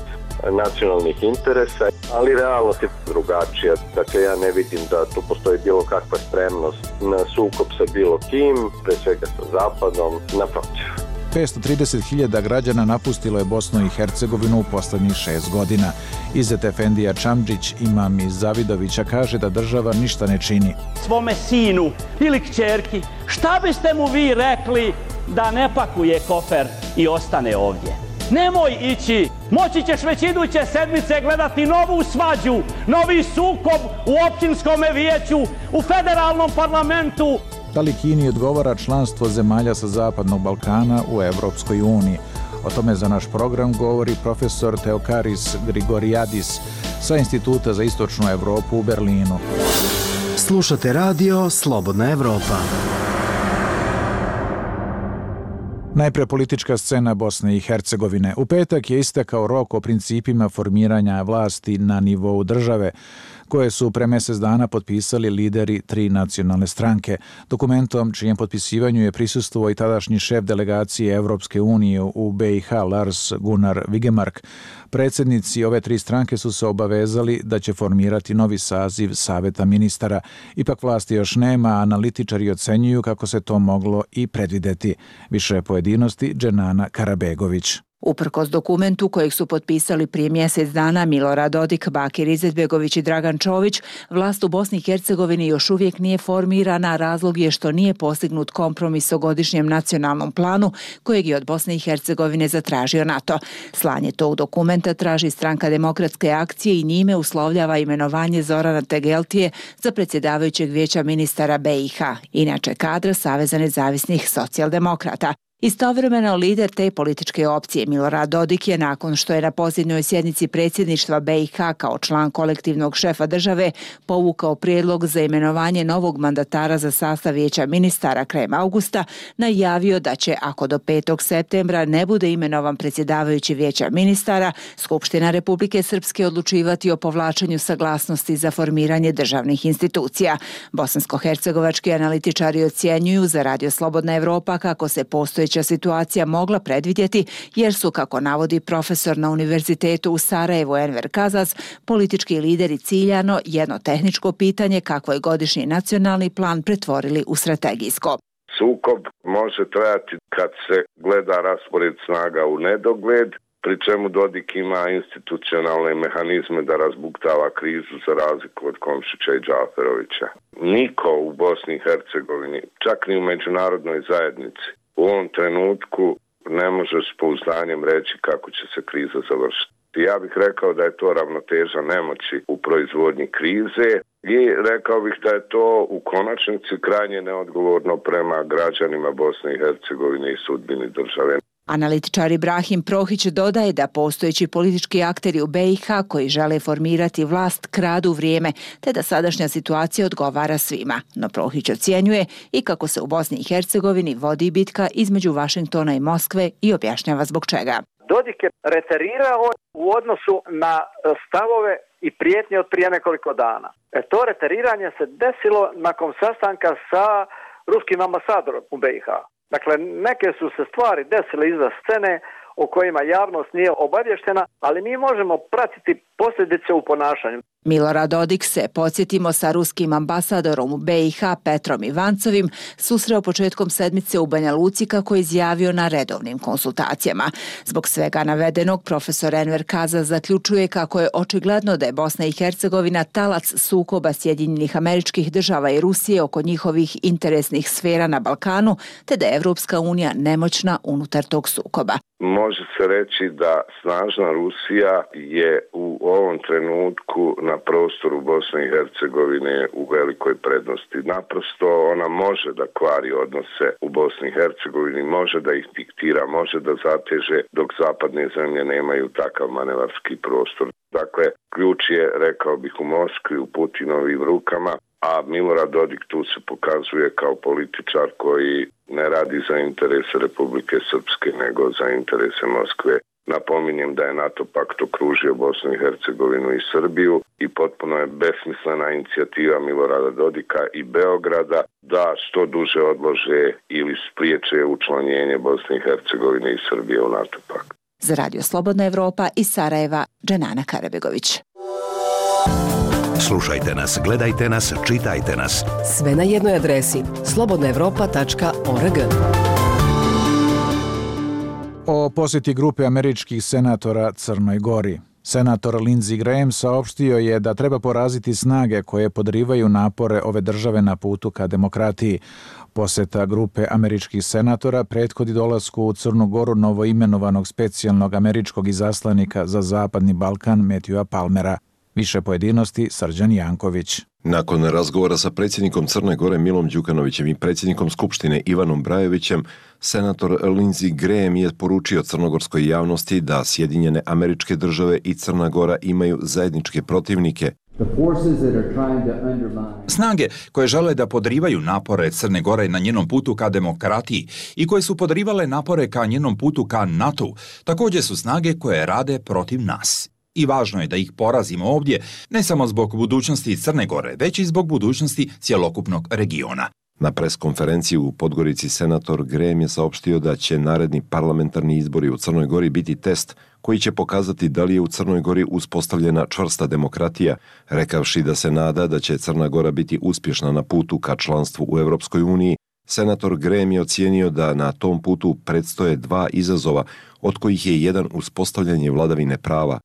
S10: nacionalnih interesa, ali realnost je drugačija. Dakle, ja ne vidim da tu postoji bilo kakva spremnost na sukob sa bilo kim, pre svega sa Zapadom, naprotiv.
S9: 530.000 građana napustilo je Bosnu i Hercegovinu u posljednjih 6 godina. Izet Efendija Čamdžić, imam iz Zavidovića, kaže da država ništa ne čini.
S12: Svome sinu ili kćerki, šta biste mu vi rekli da ne pakuje kofer i ostane ovdje? Nemoj ići, moći ćeš već iduće sedmice gledati novu svađu, novi sukob u općinskom vijeću, u federalnom parlamentu.
S9: Da li Kini odgovara članstvo zemalja sa Zapadnog Balkana u Evropskoj uniji? O tome za naš program govori profesor Teokaris Grigoriadis sa Instituta za istočnu Evropu u Berlinu.
S22: Slušate radio Slobodna Evropa.
S9: Najpre politička scena Bosne i Hercegovine. U petak je istekao rok o principima formiranja vlasti na nivou države, koje su pre mjesec dana potpisali lideri 3 nacionalne stranke. Dokumentom čijem potpisivanju je prisustvovao i tadašnji šef delegacije Evropske unije u BiH Lars Gunnar Vigemark. Predsjednici ove 3 stranke su se obavezali da će formirati novi saziv Saveta ministara. Ipak vlasti još nema, a analitičari ocenjuju kako se to moglo i predvideti. Više pojedinosti Dženana Karabegović.
S13: Uprkos dokumentu kojeg su potpisali prije mjesec dana Milorad Dodik, Bakir Izetbegović i Dragan Čović, vlast u Bosni i Hercegovini još uvijek nije formirana, razlog je što nije postignut kompromis o godišnjem nacionalnom planu kojeg je od Bosne i Hercegovine zatražio NATO. Slanje tog dokumenta traži Stranka demokratske akcije i njime uslovljava imenovanje Zorana Tegeltije za predsjedavajućeg vijeća ministara BiH, inače kadra Saveza nezavisnih socijaldemokrata. Istovremeno lider te političke opcije Milorad Dodik je, nakon što je na posljednjoj sjednici predsjedništva BiH kao član kolektivnog šefa države povukao prijedlog za imenovanje novog mandatara za sastav vijeća ministara krajem avgusta, najavio da će, ako do 5. septembra ne bude imenovan predsjedavajući vijeća ministara, Skupština Republike Srpske odlučivati o povlačenju saglasnosti za formiranje državnih institucija. Bosansko-hercegovački analitičari ocjenjuju za Radio Slobodna Evropa kako se postojeći postojeća situacija mogla predvidjeti, jer su, kako navodi profesor na Univerzitetu u Sarajevu Enver Kazas, politički lideri ciljano jedno tehničko pitanje kako je godišnji nacionalni plan pretvorili u strategijsko.
S14: Sukob može trajati kad se gleda raspored snaga u nedogled, pri čemu Dodik ima institucionalne mehanizme da razbuktava krizu za razliku od Komšića i Džaferovića. Niko u Bosni i Hercegovini, čak ni u međunarodnoj zajednici, u ovom trenutku ne može s pouzdanjem reći kako će se kriza završiti. Ja bih rekao da je to ravnoteža nemoći u proizvodnji krize i rekao bih da je to u konačnici krajnje neodgovorno prema građanima Bosne i Hercegovine i sudbini države.
S13: Analitičar Ibrahim Prohić dodaje da postojeći politički akteri u BiH koji žele formirati vlast kradu vrijeme, te da sadašnja situacija odgovara svima. No Prohić ocjenjuje i kako se u Bosni i Hercegovini vodi bitka između Vašingtona i Moskve i objašnjava zbog čega.
S15: Dodik je reterirao u odnosu na stavove i prijetnje od prije nekoliko dana. To reteriranje se desilo nakon sastanka sa ruskim ambasadorom u BiH. Dakle, neke su se stvari desile iza scene o kojima javnost nije obavještena, ali mi možemo pratiti posljedice u ponašanju.
S13: Milorad Dodik se, podsjetimo, sa ruskim ambasadorom u BiH Petrom Ivancovim susreo početkom sedmice u Banja Luci, kako je izjavio na redovnim konsultacijama. Zbog svega navedenog, profesor Enver Kazas zaključuje kako je očigledno da je Bosna i Hercegovina talac sukoba Sjedinjenih Američkih Država i Rusije oko njihovih interesnih sfera na Balkanu, te da je Evropska unija nemoćna unutar tog sukoba.
S14: Može se reći da snažna Rusija je u ovom trenutku na prostoru Bosne i Hercegovine u velikoj prednosti. Naprosto ona može da kvari odnose u Bosni i Hercegovini, može da ih diktira, može da zateže, dok zapadne zemlje nemaju takav manevarski prostor. Dakle, ključ je, rekao bih, u Moskvi, u Putinovim rukama, a Milorad Dodik tu se pokazuje kao političar koji ne radi za interese Republike Srpske, nego za interese Moskve. Napominjem da je NATO pakt okružio Bosnu i Hercegovinu i Srbiju i potpuno je besmislena inicijativa Milorada Dodika i Beograda da što duže odlože ili spriječe učlanjenje Bosne i Hercegovine i Srbije u NATO pakt.
S13: Za Radio Slobodna Evropa iz Sarajeva, Dženana Karabegović.
S2: Slušajte nas, gledajte nas, čitajte nas.
S7: Sve na jednoj adresi slobodnaevropa.org.
S9: O posjeti grupe američkih senatora Crnoj Gori. Senator Lindsey Graham saopštio je da treba poraziti snage koje podrivaju napore ove države na putu ka demokratiji. Posjeta grupe američkih senatora prethodi dolasku u Crnu Goru novoimenovanog specijalnog američkog izaslanika za Zapadni Balkan Matthewa Palmera. Više pojedinosti Srđan Janković.
S16: Nakon razgovora sa predsjednikom Crne Gore Milom Đukanovićem i predsjednikom Skupštine Ivanom Brajovićem, senator Lindsey Graham je poručio crnogorskoj javnosti da Sjedinjene Američke Države i Crna Gora imaju zajedničke protivnike.
S11: Snage koje žele da podrivaju napore Crne Gore na njenom putu ka demokratiji i koje su podrivale napore ka njenom putu ka NATO, također su snage koje rade protiv nas. I važno je da ih porazimo ovdje, ne samo zbog budućnosti Crne Gore, već i zbog budućnosti cjelokupnog regiona.
S16: Na preskonferenciji u Podgorici senator Graham je saopštio da će naredni parlamentarni izbori u Crnoj Gori biti test koji će pokazati da li je u Crnoj Gori uspostavljena čvrsta demokratija, rekavši da se nada da će Crna Gora biti uspješna na putu ka članstvu u Europskoj uniji. Senator Graham je ocijenio da na tom putu predstoje dva izazova, od kojih je jedan uspostavljanje vladavine prava.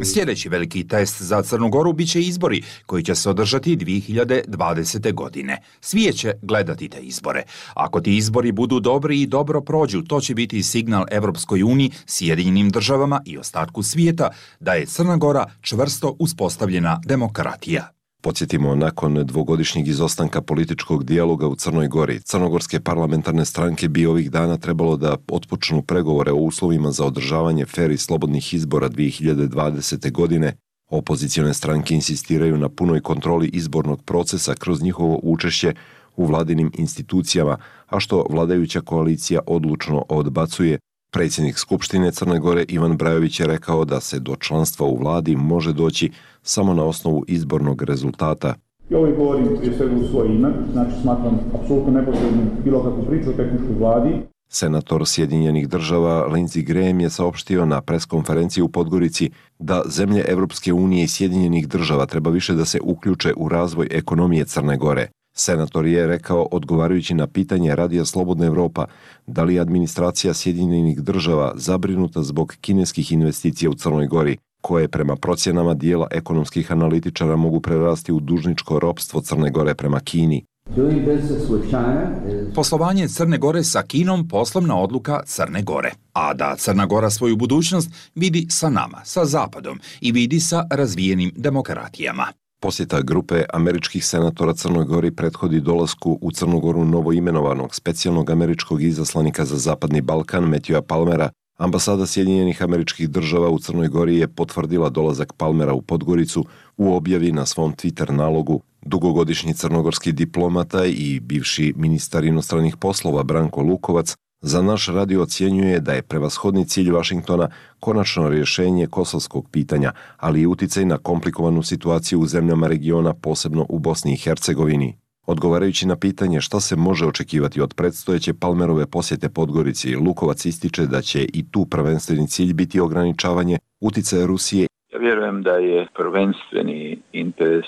S11: Sljedeći veliki test za Crnu Goru bit će izbori koji će se održati 2020. godine. Svijet će gledati te izbore. Ako ti izbori budu dobri i dobro prođu, to će biti signal Evropskoj uniji, Sjedinjenim državama i ostatku svijeta da je Crna Gora čvrsto uspostavljena demokratija.
S16: Podsjetimo, nakon dvogodišnjeg izostanka političkog dijaloga u Crnoj Gori, crnogorske parlamentarne stranke bi ovih dana trebalo da otpočnu pregovore o uslovima za održavanje fer i slobodnih izbora 2020. godine. Opozicione stranke insistiraju na punoj kontroli izbornog procesa kroz njihovo učešće u vladinim institucijama, a što vladajuća koalicija odlučno odbacuje. Predsjednik Skupštine Crne Gore Ivan Brajović je rekao da se do članstva u vladi može doći samo na osnovu izbornog rezultata.
S5: I ovo govorim prije svega u svoje ime, znači smatram apsolutno nepotrebnim bilo kakvu priču o tehničkoj vladi.
S16: Senator Sjedinjenih država Lindsey Graham je saopštio na preskonferenciji u Podgorici da zemlje Evropske unije i Sjedinjenih država treba više da se uključe u razvoj ekonomije Crne Gore. Senator je rekao, odgovarajući na pitanje Radija Slobodna Evropa, da li je administracija Sjedinjenih država zabrinuta zbog kineskih investicija u Crnoj Gori, koje prema procjenama dijela ekonomskih analitičara mogu prerasti u dužničko ropstvo Crne Gore prema Kini.
S11: Poslovanje Crne Gore sa Kinom poslovna odluka Crne Gore, a da Crna Gora svoju budućnost vidi sa nama, sa Zapadom i vidi sa razvijenim demokratijama.
S16: Posjeta grupe američkih senatora Crnoj Gori prethodi dolasku u Crnu Goru novoimenovanog specijalnog američkog izaslanika za Zapadni Balkan Matthewa Palmera. Ambasada Sjedinjenih Američkih Država u Crnoj Gori je potvrdila dolazak Palmera u Podgoricu u objavi na svom Twitter nalogu. Dugogodišnji crnogorski diplomata i bivši ministar inostranih poslova Branko Lukovac za naš radio ocjenjuje da je prevashodni cilj Vašingtona konačno rješenje kosovskog pitanja, ali i uticaj na komplikovanu situaciju u zemljama regiona, posebno u Bosni i Hercegovini. Odgovarajući na pitanje šta se može očekivati od predstojeće Palmerove posjete Podgorici, Lukovac ističe da će i tu prvenstveni cilj biti ograničavanje uticaja Rusije.
S17: Ja vjerujem da je prvenstveni interes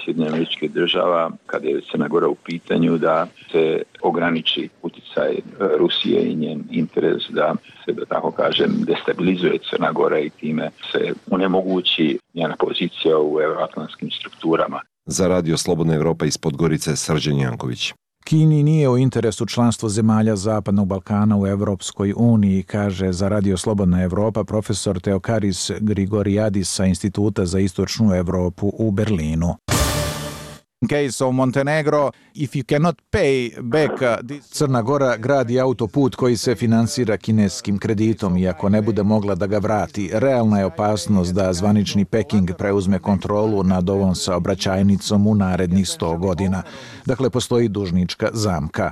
S17: Sjedinjenih Američkih Država, kada je Crna Gora u pitanju, da se ograniči uticaj Rusije i njen interes da se, da tako kažem, destabilizuje Crna Gora i time se onemogući njena pozicija u euroatlantskim strukturama.
S16: Za Radio Slobodna Evropa iz Podgorice, Srđan Janković.
S9: Kini nije u interesu članstvo zemalja Zapadnog Balkana u Evropskoj uniji, kaže za Radio Slobodna Evropa profesor Teokaris Grigoriadis sa Instituta za istočnu Evropu u Berlinu. In case of Montenegro, if you cannot pay back Crna Gora gradi autoput koji se finansira kineskim kreditom i ako ne bude mogla da ga vrati, realna je opasnost da zvanični Peking preuzme kontrolu nad ovom saobraćajnicom u narednih 100 godina. Dakle, postoji dužnička zamka.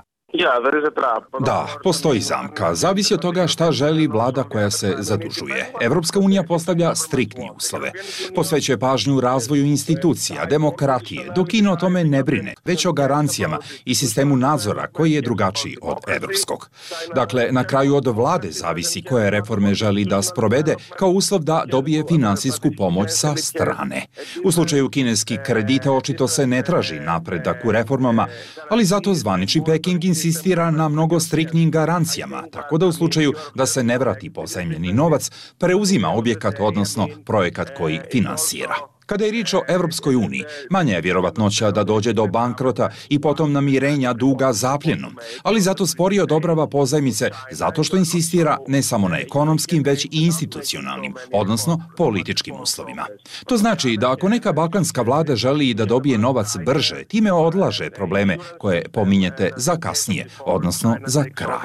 S11: Da, postoji zamka. Zavisi od toga šta želi vlada koja se zadužuje. Evropska unija postavlja striktne uslove. Posvećuje pažnju razvoju institucija, demokratije, dok Kina o tome ne brine, već o garancijama i sistemu nadzora koji je drugačiji od evropskog. Dakle, na kraju od vlade zavisi koje reforme želi da sprovede kao uslov da dobije finansijsku pomoć sa strane. U slučaju kineskih kredita očito se ne traži napredak u reformama, ali zato zvanični Peking insistira na mnogo striktnim garancijama, tako da u slučaju da se ne vrati pozajmljeni novac, preuzima objekat, odnosno projekat koji finansira. Kada je riječ o Evropskoj uniji, manja je vjerovatnoća da dođe do bankrota i potom namirenja duga zapljenom, ali zato sporije odobrava pozajmice zato što insistira ne samo na ekonomskim, već i institucionalnim, odnosno političkim uslovima. To znači da ako neka balkanska vlada želi da dobije novac brže, time odlaže probleme koje pominjete za kasnije, odnosno za kraj.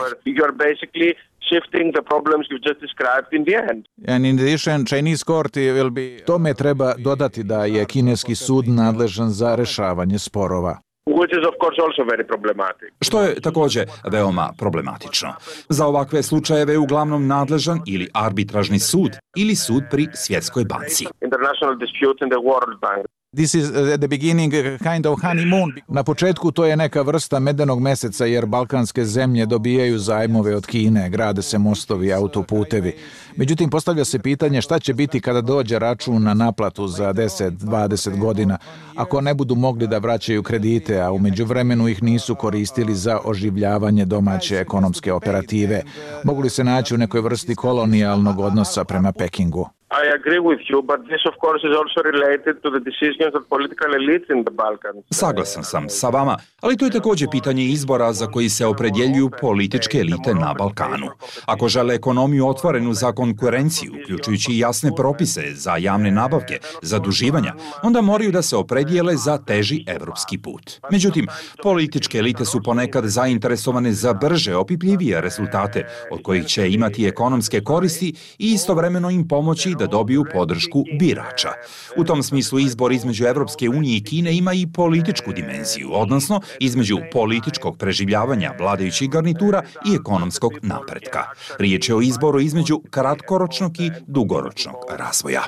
S18: Shifting the problems you just described in the end.
S9: And in addition, Chinese court will be... Tome treba dodati da je kineski sud nadležan za rešavanje sporova.
S18: Which is of course also very problematic.
S11: Što je također veoma problematično. Za ovakve slučajeve je uglavnom nadležan ili arbitražni sud ili sud pri Svjetskoj banci.
S18: International dispute in the World Bank.
S9: This is at the beginning kind of honeymoon. Na početku to je neka vrsta medenog meseca jer balkanske zemlje dobijaju zajmove od Kine, grade se mostovi, autoputevi. Međutim, postavlja se pitanje šta će biti kada dođe račun na naplatu za 10-20 godina, ako ne budu mogli da vraćaju kredite, a u međuvremenu ih nisu koristili za oživljavanje domaće ekonomske operative. Mogu li se naći u nekoj vrsti kolonijalnog odnosa prema Pekingu?
S18: I agree with you, but this of course is also related to the decisions of political elites in the Balkans.
S11: Saglasan sam sa vama, ali to je također pitanje izbora za koji se opredjeljuju političke elite na Balkanu. Ako žele ekonomiju otvorenu za konkurenciju, uključujući i jasne propise za javne nabavke, zaduživanja, onda moraju da se opredijele za teži evropski put. Međutim, političke elite su ponekad zainteresovane za brže, opipljivije rezultate, od kojih će imati ekonomske koristi i istovremeno im pomoći da dobiju podršku birača. U tom smislu izbor između Evropske unije i Kine ima i političku dimenziju, odnosno između političkog preživljavanja vladajućih garnitura i ekonomskog napretka. Riječ je o izboru između kratkoročnog i dugoročnog razvoja.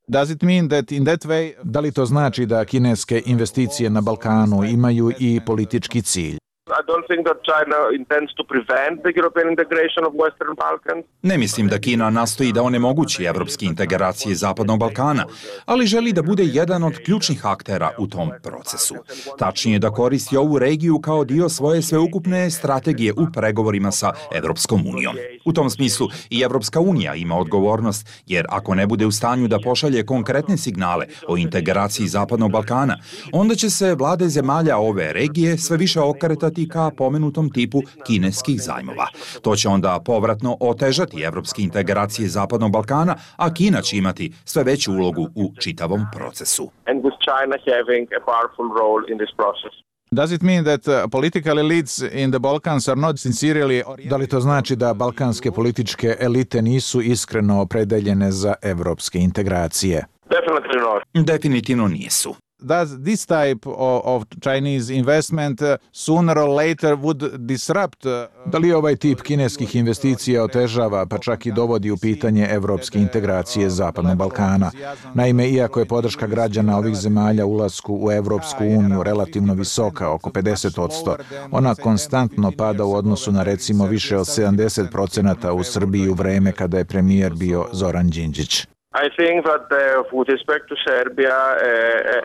S9: Does it mean that in that way, da li to znači da kineske investicije na Balkanu imaju i politički cilj?
S18: I don't think that China intends to prevent the European integration of Western Balkans.
S11: Ne mislim da Kina nastoji da onemogući evropske integracije Zapadnog Balkana, ali želi da bude jedan od ključnih aktera u tom procesu. Tačnije da koristi ovu regiju kao dio svoje sveukupne strategije u pregovorima sa Evropskom unijom. U tom smislu i Evropska unija ima odgovornost, jer ako ne bude u stanju da pošalje konkretne signale o integraciji Zapadnog Balkana, onda će se vlade zemalja ove regije sve više okretati ka pomenutom tipu kineskih zajmova. To će onda povratno otežati evropske integracije Zapadnog Balkana, a Kina će imati sve veću ulogu u čitavom procesu.
S18: And with China having a powerful role in this process.
S9: Does it mean that political elites in the Balkans are not sincerely... Da li to znači da balkanske političke elite nisu iskreno opredeljene za evropske integracije?
S18: Definitely not.
S11: Definitivno nisu.
S9: Does this type of Chinese investment sooner or later would disrupt... Da li ovaj tip kineskih investicija otežava, pa čak i dovodi u pitanje evropske integracije Zapadnog Balkana? Naime, iako je podrška građana ovih zemalja ulasku u Evropsku uniju relativno visoka, oko 50%, ona konstantno pada u odnosu na recimo više od 70% u Srbiji u vreme kada je premijer bio Zoran Đinđić.
S18: I think that with respect to Serbia,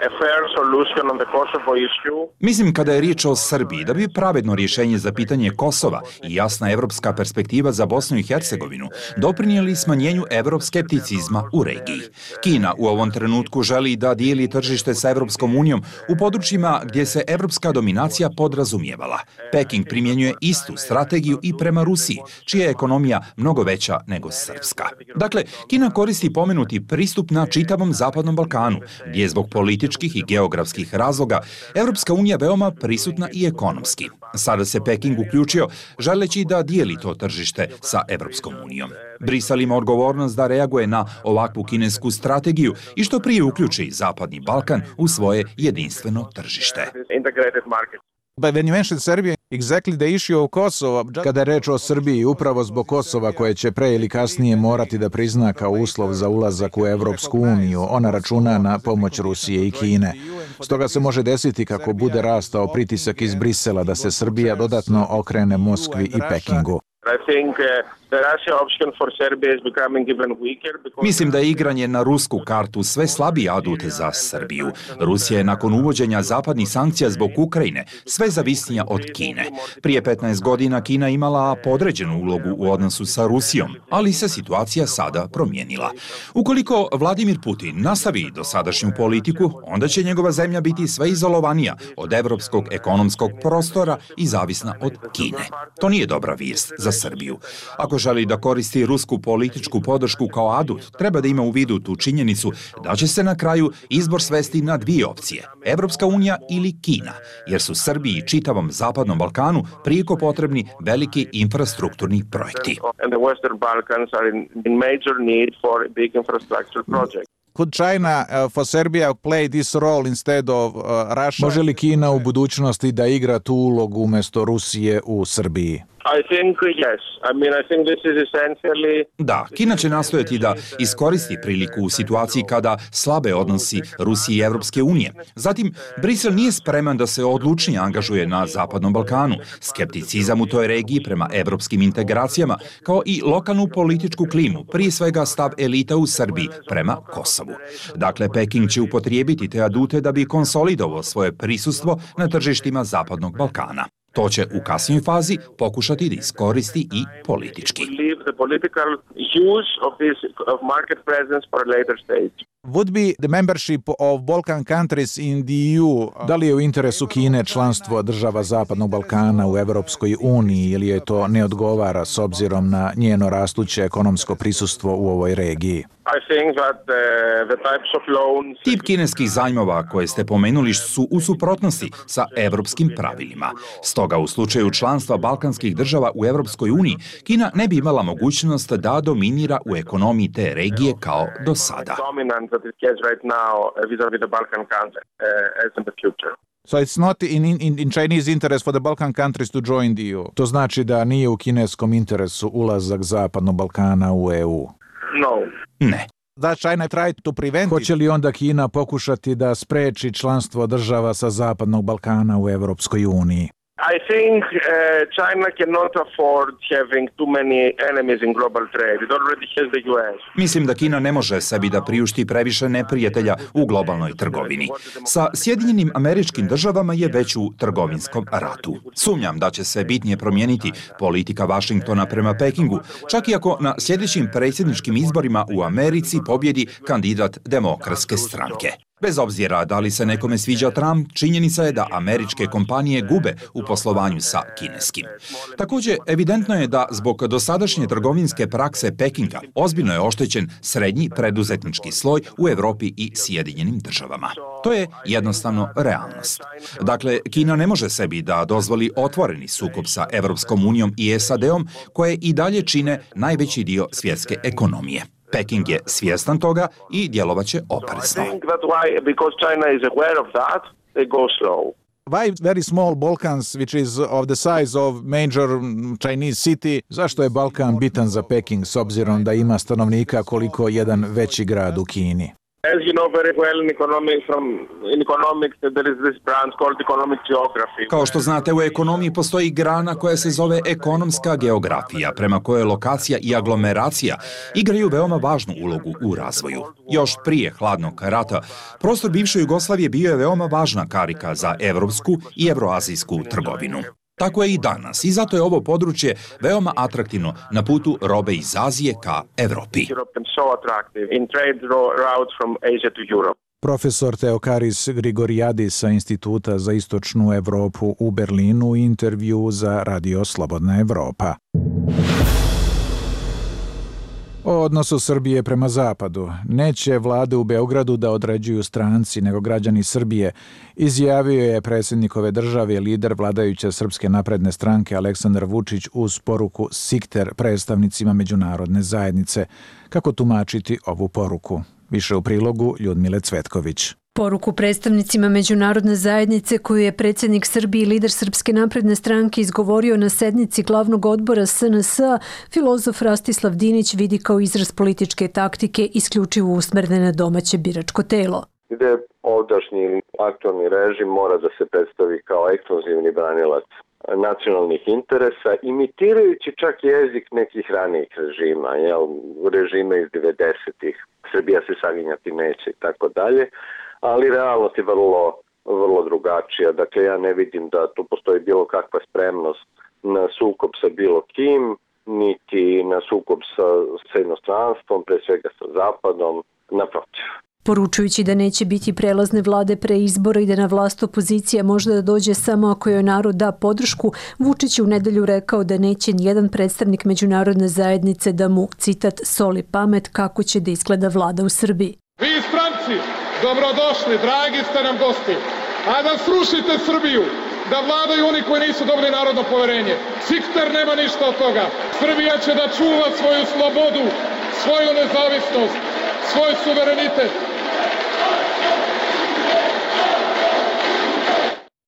S18: a fair solution on the Kosovo issue...
S11: Mislim kada je riječ o Srbiji, da bi pravedno rješenje za pitanje Kosova i jasna evropska perspektiva za Bosnu i Hercegovinu doprinijeli smanjenju evroskepticizma u regiji. Kina u ovom trenutku želi da dijeli tržište sa Evropskom unijom u područjima gdje se evropska dominacija podrazumijevala. Peking primjenjuje istu strategiju i prema Rusiji, čija je ekonomija mnogo veća nego srpska. Dakle, Kina koristi pomenuti pristup na čitavom Zapadnom Balkanu, gdje je zbog političkih i geografskih razloga Evropska unija veoma prisutna i ekonomski. Sada se Peking uključio, želeći da dijeli to tržište sa Evropskom unijom. Brisel ima odgovornost da reaguje na ovakvu kinesku strategiju i što prije uključi Zapadni Balkan u svoje jedinstveno tržište.
S9: But when you mentioned Serbia, exactly the issue of Kosovo, kada je reč o Srbiji, upravo zbog Kosova koje će pre ili kasnije morati da prizna kao uslov za ulazak u Evropsku uniju, ona računa na pomoć Rusije i Kine. Stoga se može desiti kako bude rastao pritisak iz Brisela da se Srbija dodatno okrene Moskvi i Pekingu.
S11: Mislim da je igranje na rusku kartu sve slabiji adut za Srbiju. Rusija je nakon uvođenja zapadnih sankcija zbog Ukrajine sve zavisnija od Kine. Prije 15 godina Kina imala podređenu ulogu u odnosu sa Rusijom, ali se situacija sada promijenila. Ukoliko Vladimir Putin nastavi dosadašnju politiku, onda će njegova zemlja biti sve izolovanija od evropskog ekonomskog prostora i zavisna od Kine. To nije dobra vijest za Srbiju. Ako želi da koristi rusku političku podršku kao adut, treba da ima u vidu tu činjenicu da će se na kraju izbor svesti na dvije opcije, Evropska unija ili Kina, jer su Srbiji i čitavom Zapadnom Balkanu prijeko potrebni veliki infrastrukturni projekti.
S9: Could China for Serbia play this role instead of Russia? Može li Kina u budućnosti da igra tu ulogu umjesto Rusije u Srbiji?
S18: I think yes. I think this is essentially...
S11: Da, Kina će nastojati da iskoristi priliku u situaciji kada slabe odnosi Rusije i Evropske unije. Zatim, Brisel nije spreman da se odlučnije angažuje na Zapadnom Balkanu. Skepticizam u toj regiji prema evropskim integracijama, kao i lokalnu političku klimu, prije svega stav elita u Srbiji prema Kosovu. Dakle, Peking će upotrijebiti te adute da bi konsolidovao svoje prisustvo na tržištima Zapadnog Balkana. To će u kasnijoj fazi pokušati da iskoristi i politički.
S9: Would be the membership of Balkan countries in the EU. Da li je u interesu Kine članstvo država Zapadnog Balkana u Evropskoj uniji ili je to ne odgovara s obzirom na njeno rastuće ekonomsko prisustvo u ovoj regiji?
S11: Tip kineskih zajmova koje ste pomenuli su u suprotnosti sa evropskim pravilima. Stoga u slučaju članstva balkanskih država u Evropskoj uniji, Kina ne bi imala mogućnost da dominira u ekonomiji te regije kao do sada.
S9: So it's not in Chinese interest for the Balkan countries to join the EU. To znači da nije u kineskom interesu ulazak Zapadnog Balkana u EU.
S18: No.
S11: Ne.
S9: China tried to prevent it. Hoće li onda Kina pokušati da spreči članstvo država sa Zapadnog Balkana u Evropskoj uniji?
S18: I think China cannot afford having too many enemies in global trade. It already has the US.
S11: Mislim da Kina ne može sebi da priušti previše neprijatelja u globalnoj trgovini. Sa Sjedinjenim Američkim Državama je već u trgovinskom ratu. Sumnjam da će se bitnije promijeniti politika Vašingtona prema Pekingu, čak i ako na sljedećim predsjedničkim izborima u Americi pobjedi kandidat Demokratske stranke. Bez obzira da li se nekome sviđa Trump, činjenica je da američke kompanije gube u poslovanju sa kineskim. Također, evidentno je da zbog dosadašnje trgovinske prakse Pekinga ozbiljno je oštećen srednji preduzetnički sloj u Europi i Sjedinjenim Državama. To je jednostavno realnost. Dakle, Kina ne može sebi da dozvoli otvoreni sukob sa Evropskom unijom i SAD-om, koje i dalje čine najveći dio svjetske ekonomije. Peking je svjestan toga i djelovaće oprezno.
S9: Why very small Balkans, which is of the size of major Chinese city? Zašto je Balkan bitan za Peking s obzirom da ima stanovnika koliko jedan veći grad u Kini?
S18: As you know very well in economics there is this branch called economic geography.
S11: Kao što znate, u ekonomiji postoji grana koja se zove ekonomska geografija, prema kojoj lokacija i aglomeracija igraju veoma važnu ulogu u razvoju. Još prije hladnog rata, prostor bivše Jugoslavije bio je veoma važna karika za evropsku i evroazijsku trgovinu. Tako je i danas i zato je ovo područje veoma atraktivno na putu robe iz Azije ka Evropi.
S9: Profesor Theokaris Grigoriadis sa Instituta za istočnu Evropu u Berlinu u intervju za Radio Slobodna Evropa. O odnosu Srbije prema Zapadu. Neće vlade u Beogradu da određuju stranci, nego građani Srbije, izjavio je predsjednikove države lider vladajuće Srpske napredne stranke Aleksandar Vučić uz poruku Sikter predstavnicima međunarodne zajednice. Kako tumačiti ovu poruku? Više u prilogu Ljudmile Cvetković.
S3: Poruku predstavnicima međunarodne zajednice koju je predsjednik Srbije i lider Srpske napredne stranke izgovorio na sednici glavnog odbora SNS-a, filozof Rastislav Dinić vidi kao izraz političke taktike isključivo usmerne na domaće biračko telo.
S10: Gde ovdašnji aktualni režim mora da se predstavi kao ekskluzivni branilac nacionalnih interesa, imitirajući čak jezik nekih ranijih režima, režime iz 90-ih, Srbija se saginjati neće i tako dalje. Ali realnost je vrlo drugačija. Dakle, ja ne vidim da tu postoji bilo kakva spremnost na sukob sa bilo kim, niti na sukob sa inostranstvom, pre svega sa Zapadom, naprotiv.
S3: Poručujući da neće biti prelazne vlade pre izbora i da na vlast opozicija možda da dođe samo ako joj narod da podršku, Vučić je u nedelju rekao da neće nijedan predstavnik međunarodne zajednice da mu, citat, soli pamet kako će da izgleda vlada u Srbiji.
S19: Vi stranci, dobrodošli, dragi ste nam gosti, a da srušite Srbiju, da vladaju oni koji nisu dobili narodno poverenje. Sikter nema ništa od toga. Srbija će da čuva svoju slobodu, svoju nezavisnost, svoj suverenitet.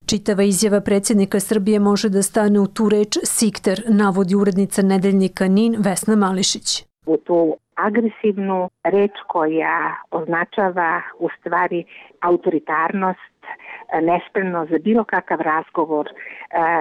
S3: Čitava izjava predsjednika Srbije može da stane u tu reč Sikter, navodi urednica nedeljnika NIN Vesna Mališić.
S20: U tu agresivnu reč koja označava u stvari autoritarnost, nespremnost za bilo kakav razgovor,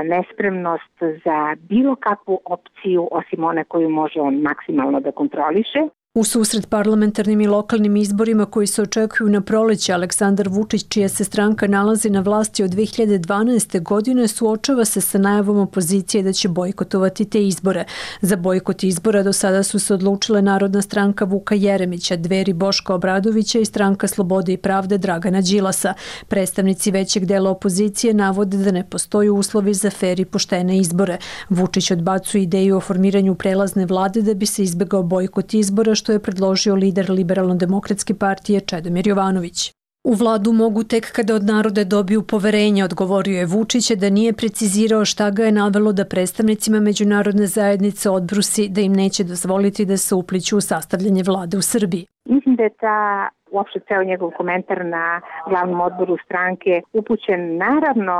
S20: nespremnost za bilo kakvu opciju osim one koju može on maksimalno da kontroliše.
S3: U susret parlamentarnim i lokalnim izborima koji se očekuju na proleće, Aleksandar Vučić, čija se stranka nalazi na vlasti od 2012. godine, suočava se sa najavom opozicije da će bojkotovati te izbore. Za bojkot izbora do sada su se odlučile Narodna stranka Vuka Jeremića, Dveri Boška Obradovića i Stranka slobode i pravde Dragana Đilasa. Predstavnici većeg dela opozicije navode da ne postoji uslovi za fer i poštene izbore. Vučić odbacuje ideju o formiranju prelazne vlade da bi se izbegao bojkot izbora, što je predložio lider Liberalno-demokratske partije Čedomir Jovanović. U vladu mogu tek kada od naroda dobiju poverenje, odgovorio je Vučić, da nije precizirao šta ga je navelo da predstavnicima međunarodne zajednice odbrusi da im neće dozvoliti da se upliću u sastavljanje vlade u Srbiji.
S20: Mislim da je uopšte ceo njegov komentar na glavnom odboru stranke upućen naravno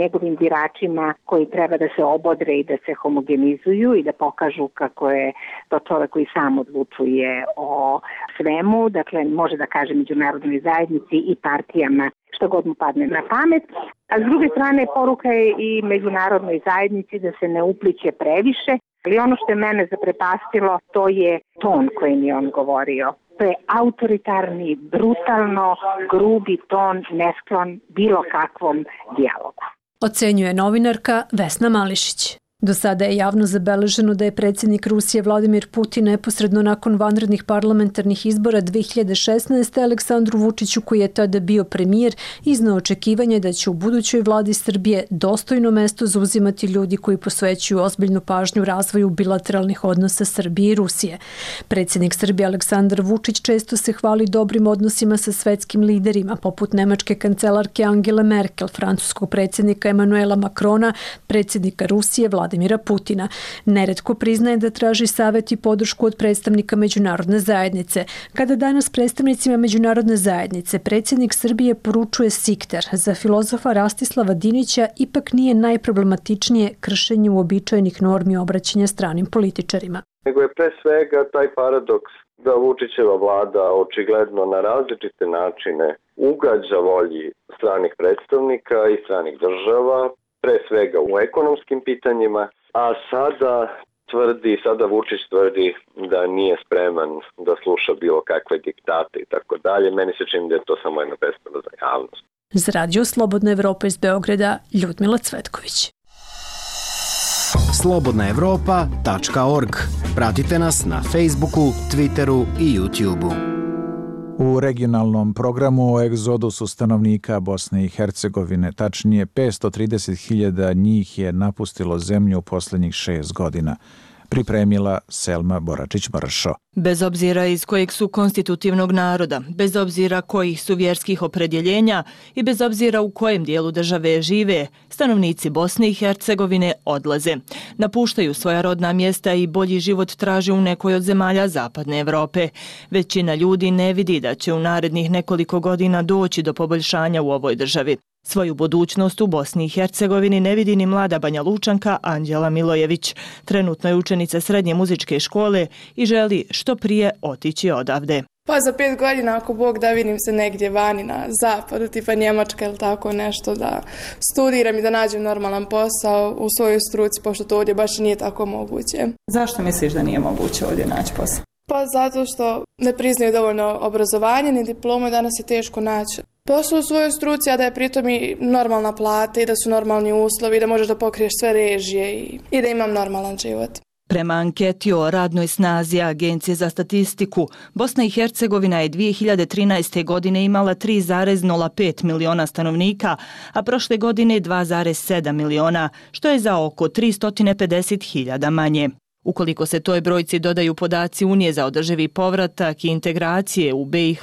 S20: njegovim biračima koji treba da se obodre i da se homogenizuju i da pokažu kako je to čovek koji sam odlučuje o svemu, dakle može da kaže međunarodnoj zajednici i partijama što god mu padne na pamet. A s druge strane poruka je i međunarodnoj zajednici da se ne upliće previše, ali ono što je mene zaprepastilo to je ton kojim je on govorio. To je autoritarni, brutalno, grubi ton, nesklon bilo kakvom dijalogu.
S3: Ocenjuje novinarka Vesna Mališić. Do sada je javno zabeleženo da je predsjednik Rusije Vladimir Putin neposredno nakon vanrednih parlamentarnih izbora 2016. Aleksandru Vučiću, koji je tada bio premijer, izneo očekivanje da će u budućoj vladi Srbije dostojno mesto zauzimati ljudi koji posvećuju ozbiljnu pažnju razvoju bilateralnih odnosa Srbije i Rusije. Predsjednik Srbije Aleksandar Vučić često se hvali dobrim odnosima sa svetskim liderima, poput nemačke kancelarke Angele Merkel, francuskog predsjednika Emanuela Macrona, predsjednika Rusije Vladimira Putina. Neretko priznaje da traži savjet i podršku od predstavnika međunarodne zajednice. Kada danas predstavnicima međunarodne zajednice predsjednik Srbije poručuje sikter, za filozofa Rastislava Dinića ipak nije najproblematičnije kršenje uobičajenih normi obraćanja stranim političarima.
S10: Nego je pre svega taj paradoks da Vučićeva vlada očigledno na različite načine ugađa volji stranih predstavnika i stranih država, pre svega u ekonomskim pitanjima, a sada Vučić tvrdi da nije spreman da sluša bilo kakve diktate i tako dalje. Meni se čini da je to samo jedna predstava za javnost.
S3: Za Radio Slobodna Evropa iz Beograda, Ljudmila Cvetković.
S22: slobodnaevropa.org. Pratite nas na Facebooku, Twitteru i YouTubeu.
S9: U regionalnom programu o egzodusu stanovnika Bosne i Hercegovine, tačnije 530.000 njih je napustilo zemlju u posljednjih 6 godina. Pripremila Selma Boračić-Mršo.
S6: Bez obzira iz kojeg su konstitutivnog naroda, bez obzira kojih su vjerskih opredjeljenja i bez obzira u kojem dijelu države žive, stanovnici Bosne i Hercegovine odlaze. Napuštaju svoja rodna mjesta i bolji život traže u nekoj od zemalja Zapadne Evrope. Većina ljudi ne vidi da će u narednih nekoliko godina doći do poboljšanja u ovoj državi. Svoju budućnost u Bosni i Hercegovini ne vidi ni mlada Banja Lučanka Anđela Milojević. Trenutno je učenica srednje muzičke škole i želi što prije otići odavde.
S8: Pa za 5 godina, ako Bog da, vidim se negdje vani na zapadu, tipa Njemačka ili tako nešto, da studiram i da nađem normalan posao u svojoj struci, pošto to ovdje baš nije tako moguće.
S21: Zašto misliš da nije moguće ovdje naći posao?
S8: Pa zato što ne priznaju dovoljno obrazovanje ni diplomu i danas je teško naći posao u svojoj struci, a da je pritom i normalna plata i da su normalni uslovi, da možeš da pokriješ sve režije i da imam normalan život.
S6: Prema anketi o radnoj snazi Agencije za statistiku, Bosna i Hercegovina je 2013. godine imala 3,05 miliona stanovnika, a prošle godine 2,7 miliona, što je za oko 350.000 manje. Ukoliko se toj brojci dodaju podaci Unije za održivi povratak i integracije u BiH,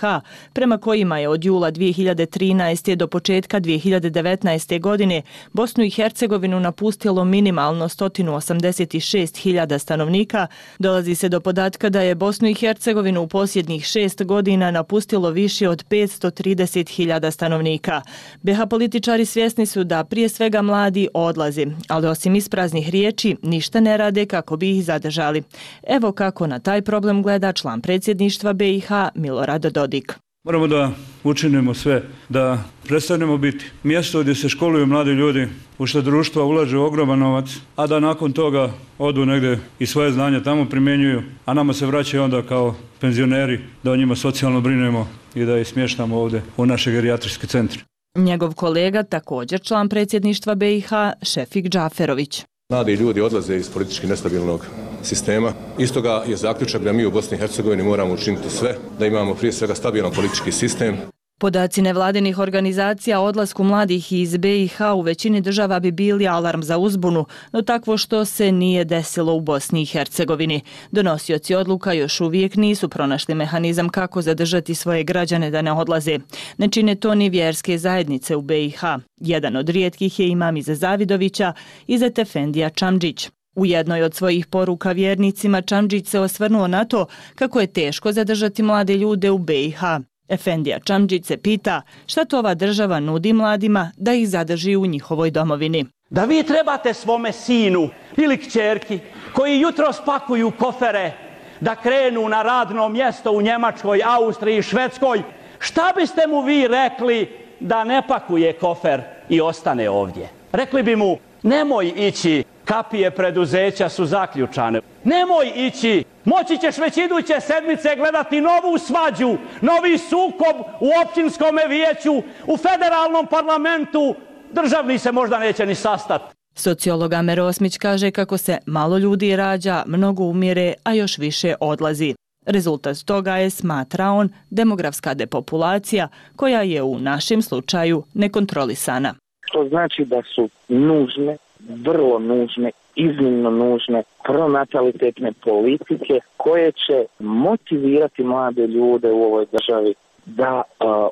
S6: prema kojima je od jula 2013. do početka 2019. godine Bosnu i Hercegovinu napustilo minimalno 186.000 stanovnika, dolazi se do podatka da je Bosnu i Hercegovinu u posljednjih 6 godina napustilo više od 530.000 stanovnika. BiH političari svjesni su da prije svega mladi odlaze, ali osim ispraznih riječi ništa ne rade kako bi ih zadržali. Evo kako na taj problem gleda član predsjedništva BiH Milorad Dodik.
S26: Moramo da učinimo sve, da prestanemo biti mjesto gdje se školuju mladi ljudi, u što društva ulaže ogroman novac, a da nakon toga odu negdje i svoje znanje tamo primjenjuju, a nama se vraćaju onda kao penzioneri da o njima socijalno brinemo i da ih smještamo ovdje u naše gerijatrijske centre.
S6: Njegov kolega, također član predsjedništva BiH, Šefik Džaferović.
S23: Mladi ljudi odlaze iz politički nestabilnog sistema. Istoga je zaključak da mi u Bosni i Hercegovini moramo učiniti sve da imamo prije svega stabilan politički sistem.
S6: Podaci nevladinih organizacija o odlasku mladih iz BiH u većini država bi bili alarm za uzbunu, no takvo što se nije desilo u Bosni i Hercegovini. Donosioci odluka još uvijek nisu pronašli mehanizam kako zadržati svoje građane da ne odlaze. Ne čine to ni vjerske zajednice u BiH. Jedan od rijetkih je imam Ize Zavidovića, Izet Efendija Čamdžić. U jednoj od svojih poruka vjernicima Čamdžić se osvrnuo na to kako je teško zadržati mlade ljude u BiH. Efendija Čamdžić se pita šta to ova država nudi mladima da ih zadrži u njihovoj domovini.
S1: Da vi trebate svome sinu ili kćerki koji jutro spakuju kofere da krenu na radno mjesto u Njemačkoj, Austriji, Švedskoj, šta biste mu vi rekli da ne pakuje kofer i ostane ovdje? Rekli bi mu, nemoj ići, kapije preduzeća su zaključane. Nemoj ići, moći ćeš već iduće sedmice gledati novu svađu, novi sukob u općinskom vijeću, u federalnom parlamentu, državni se možda neće ni sastati.
S6: Sociolog Amer Osmić kaže kako se malo ljudi rađa, mnogo umire, a još više odlazi. Rezultat toga je, smatra on, demografska depopulacija koja je u našem slučaju nekontrolisana.
S4: To znači da su nužne, vrlo nužne, iznimno nužne pronatalitetne politike koje će motivirati mlade ljude u ovoj državi da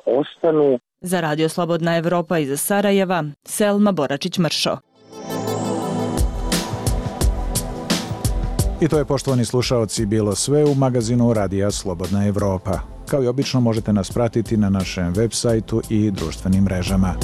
S4: ostanu.
S6: Za Radio Slobodna Evropa iz Sarajeva, Selma Boračić-Mršo.
S9: I to je, poštovani slušaoci, bilo sve u magazinu Radija Slobodna Evropa. Kao i obično možete nas pratiti na našem web sajtu i društvenim mrežama.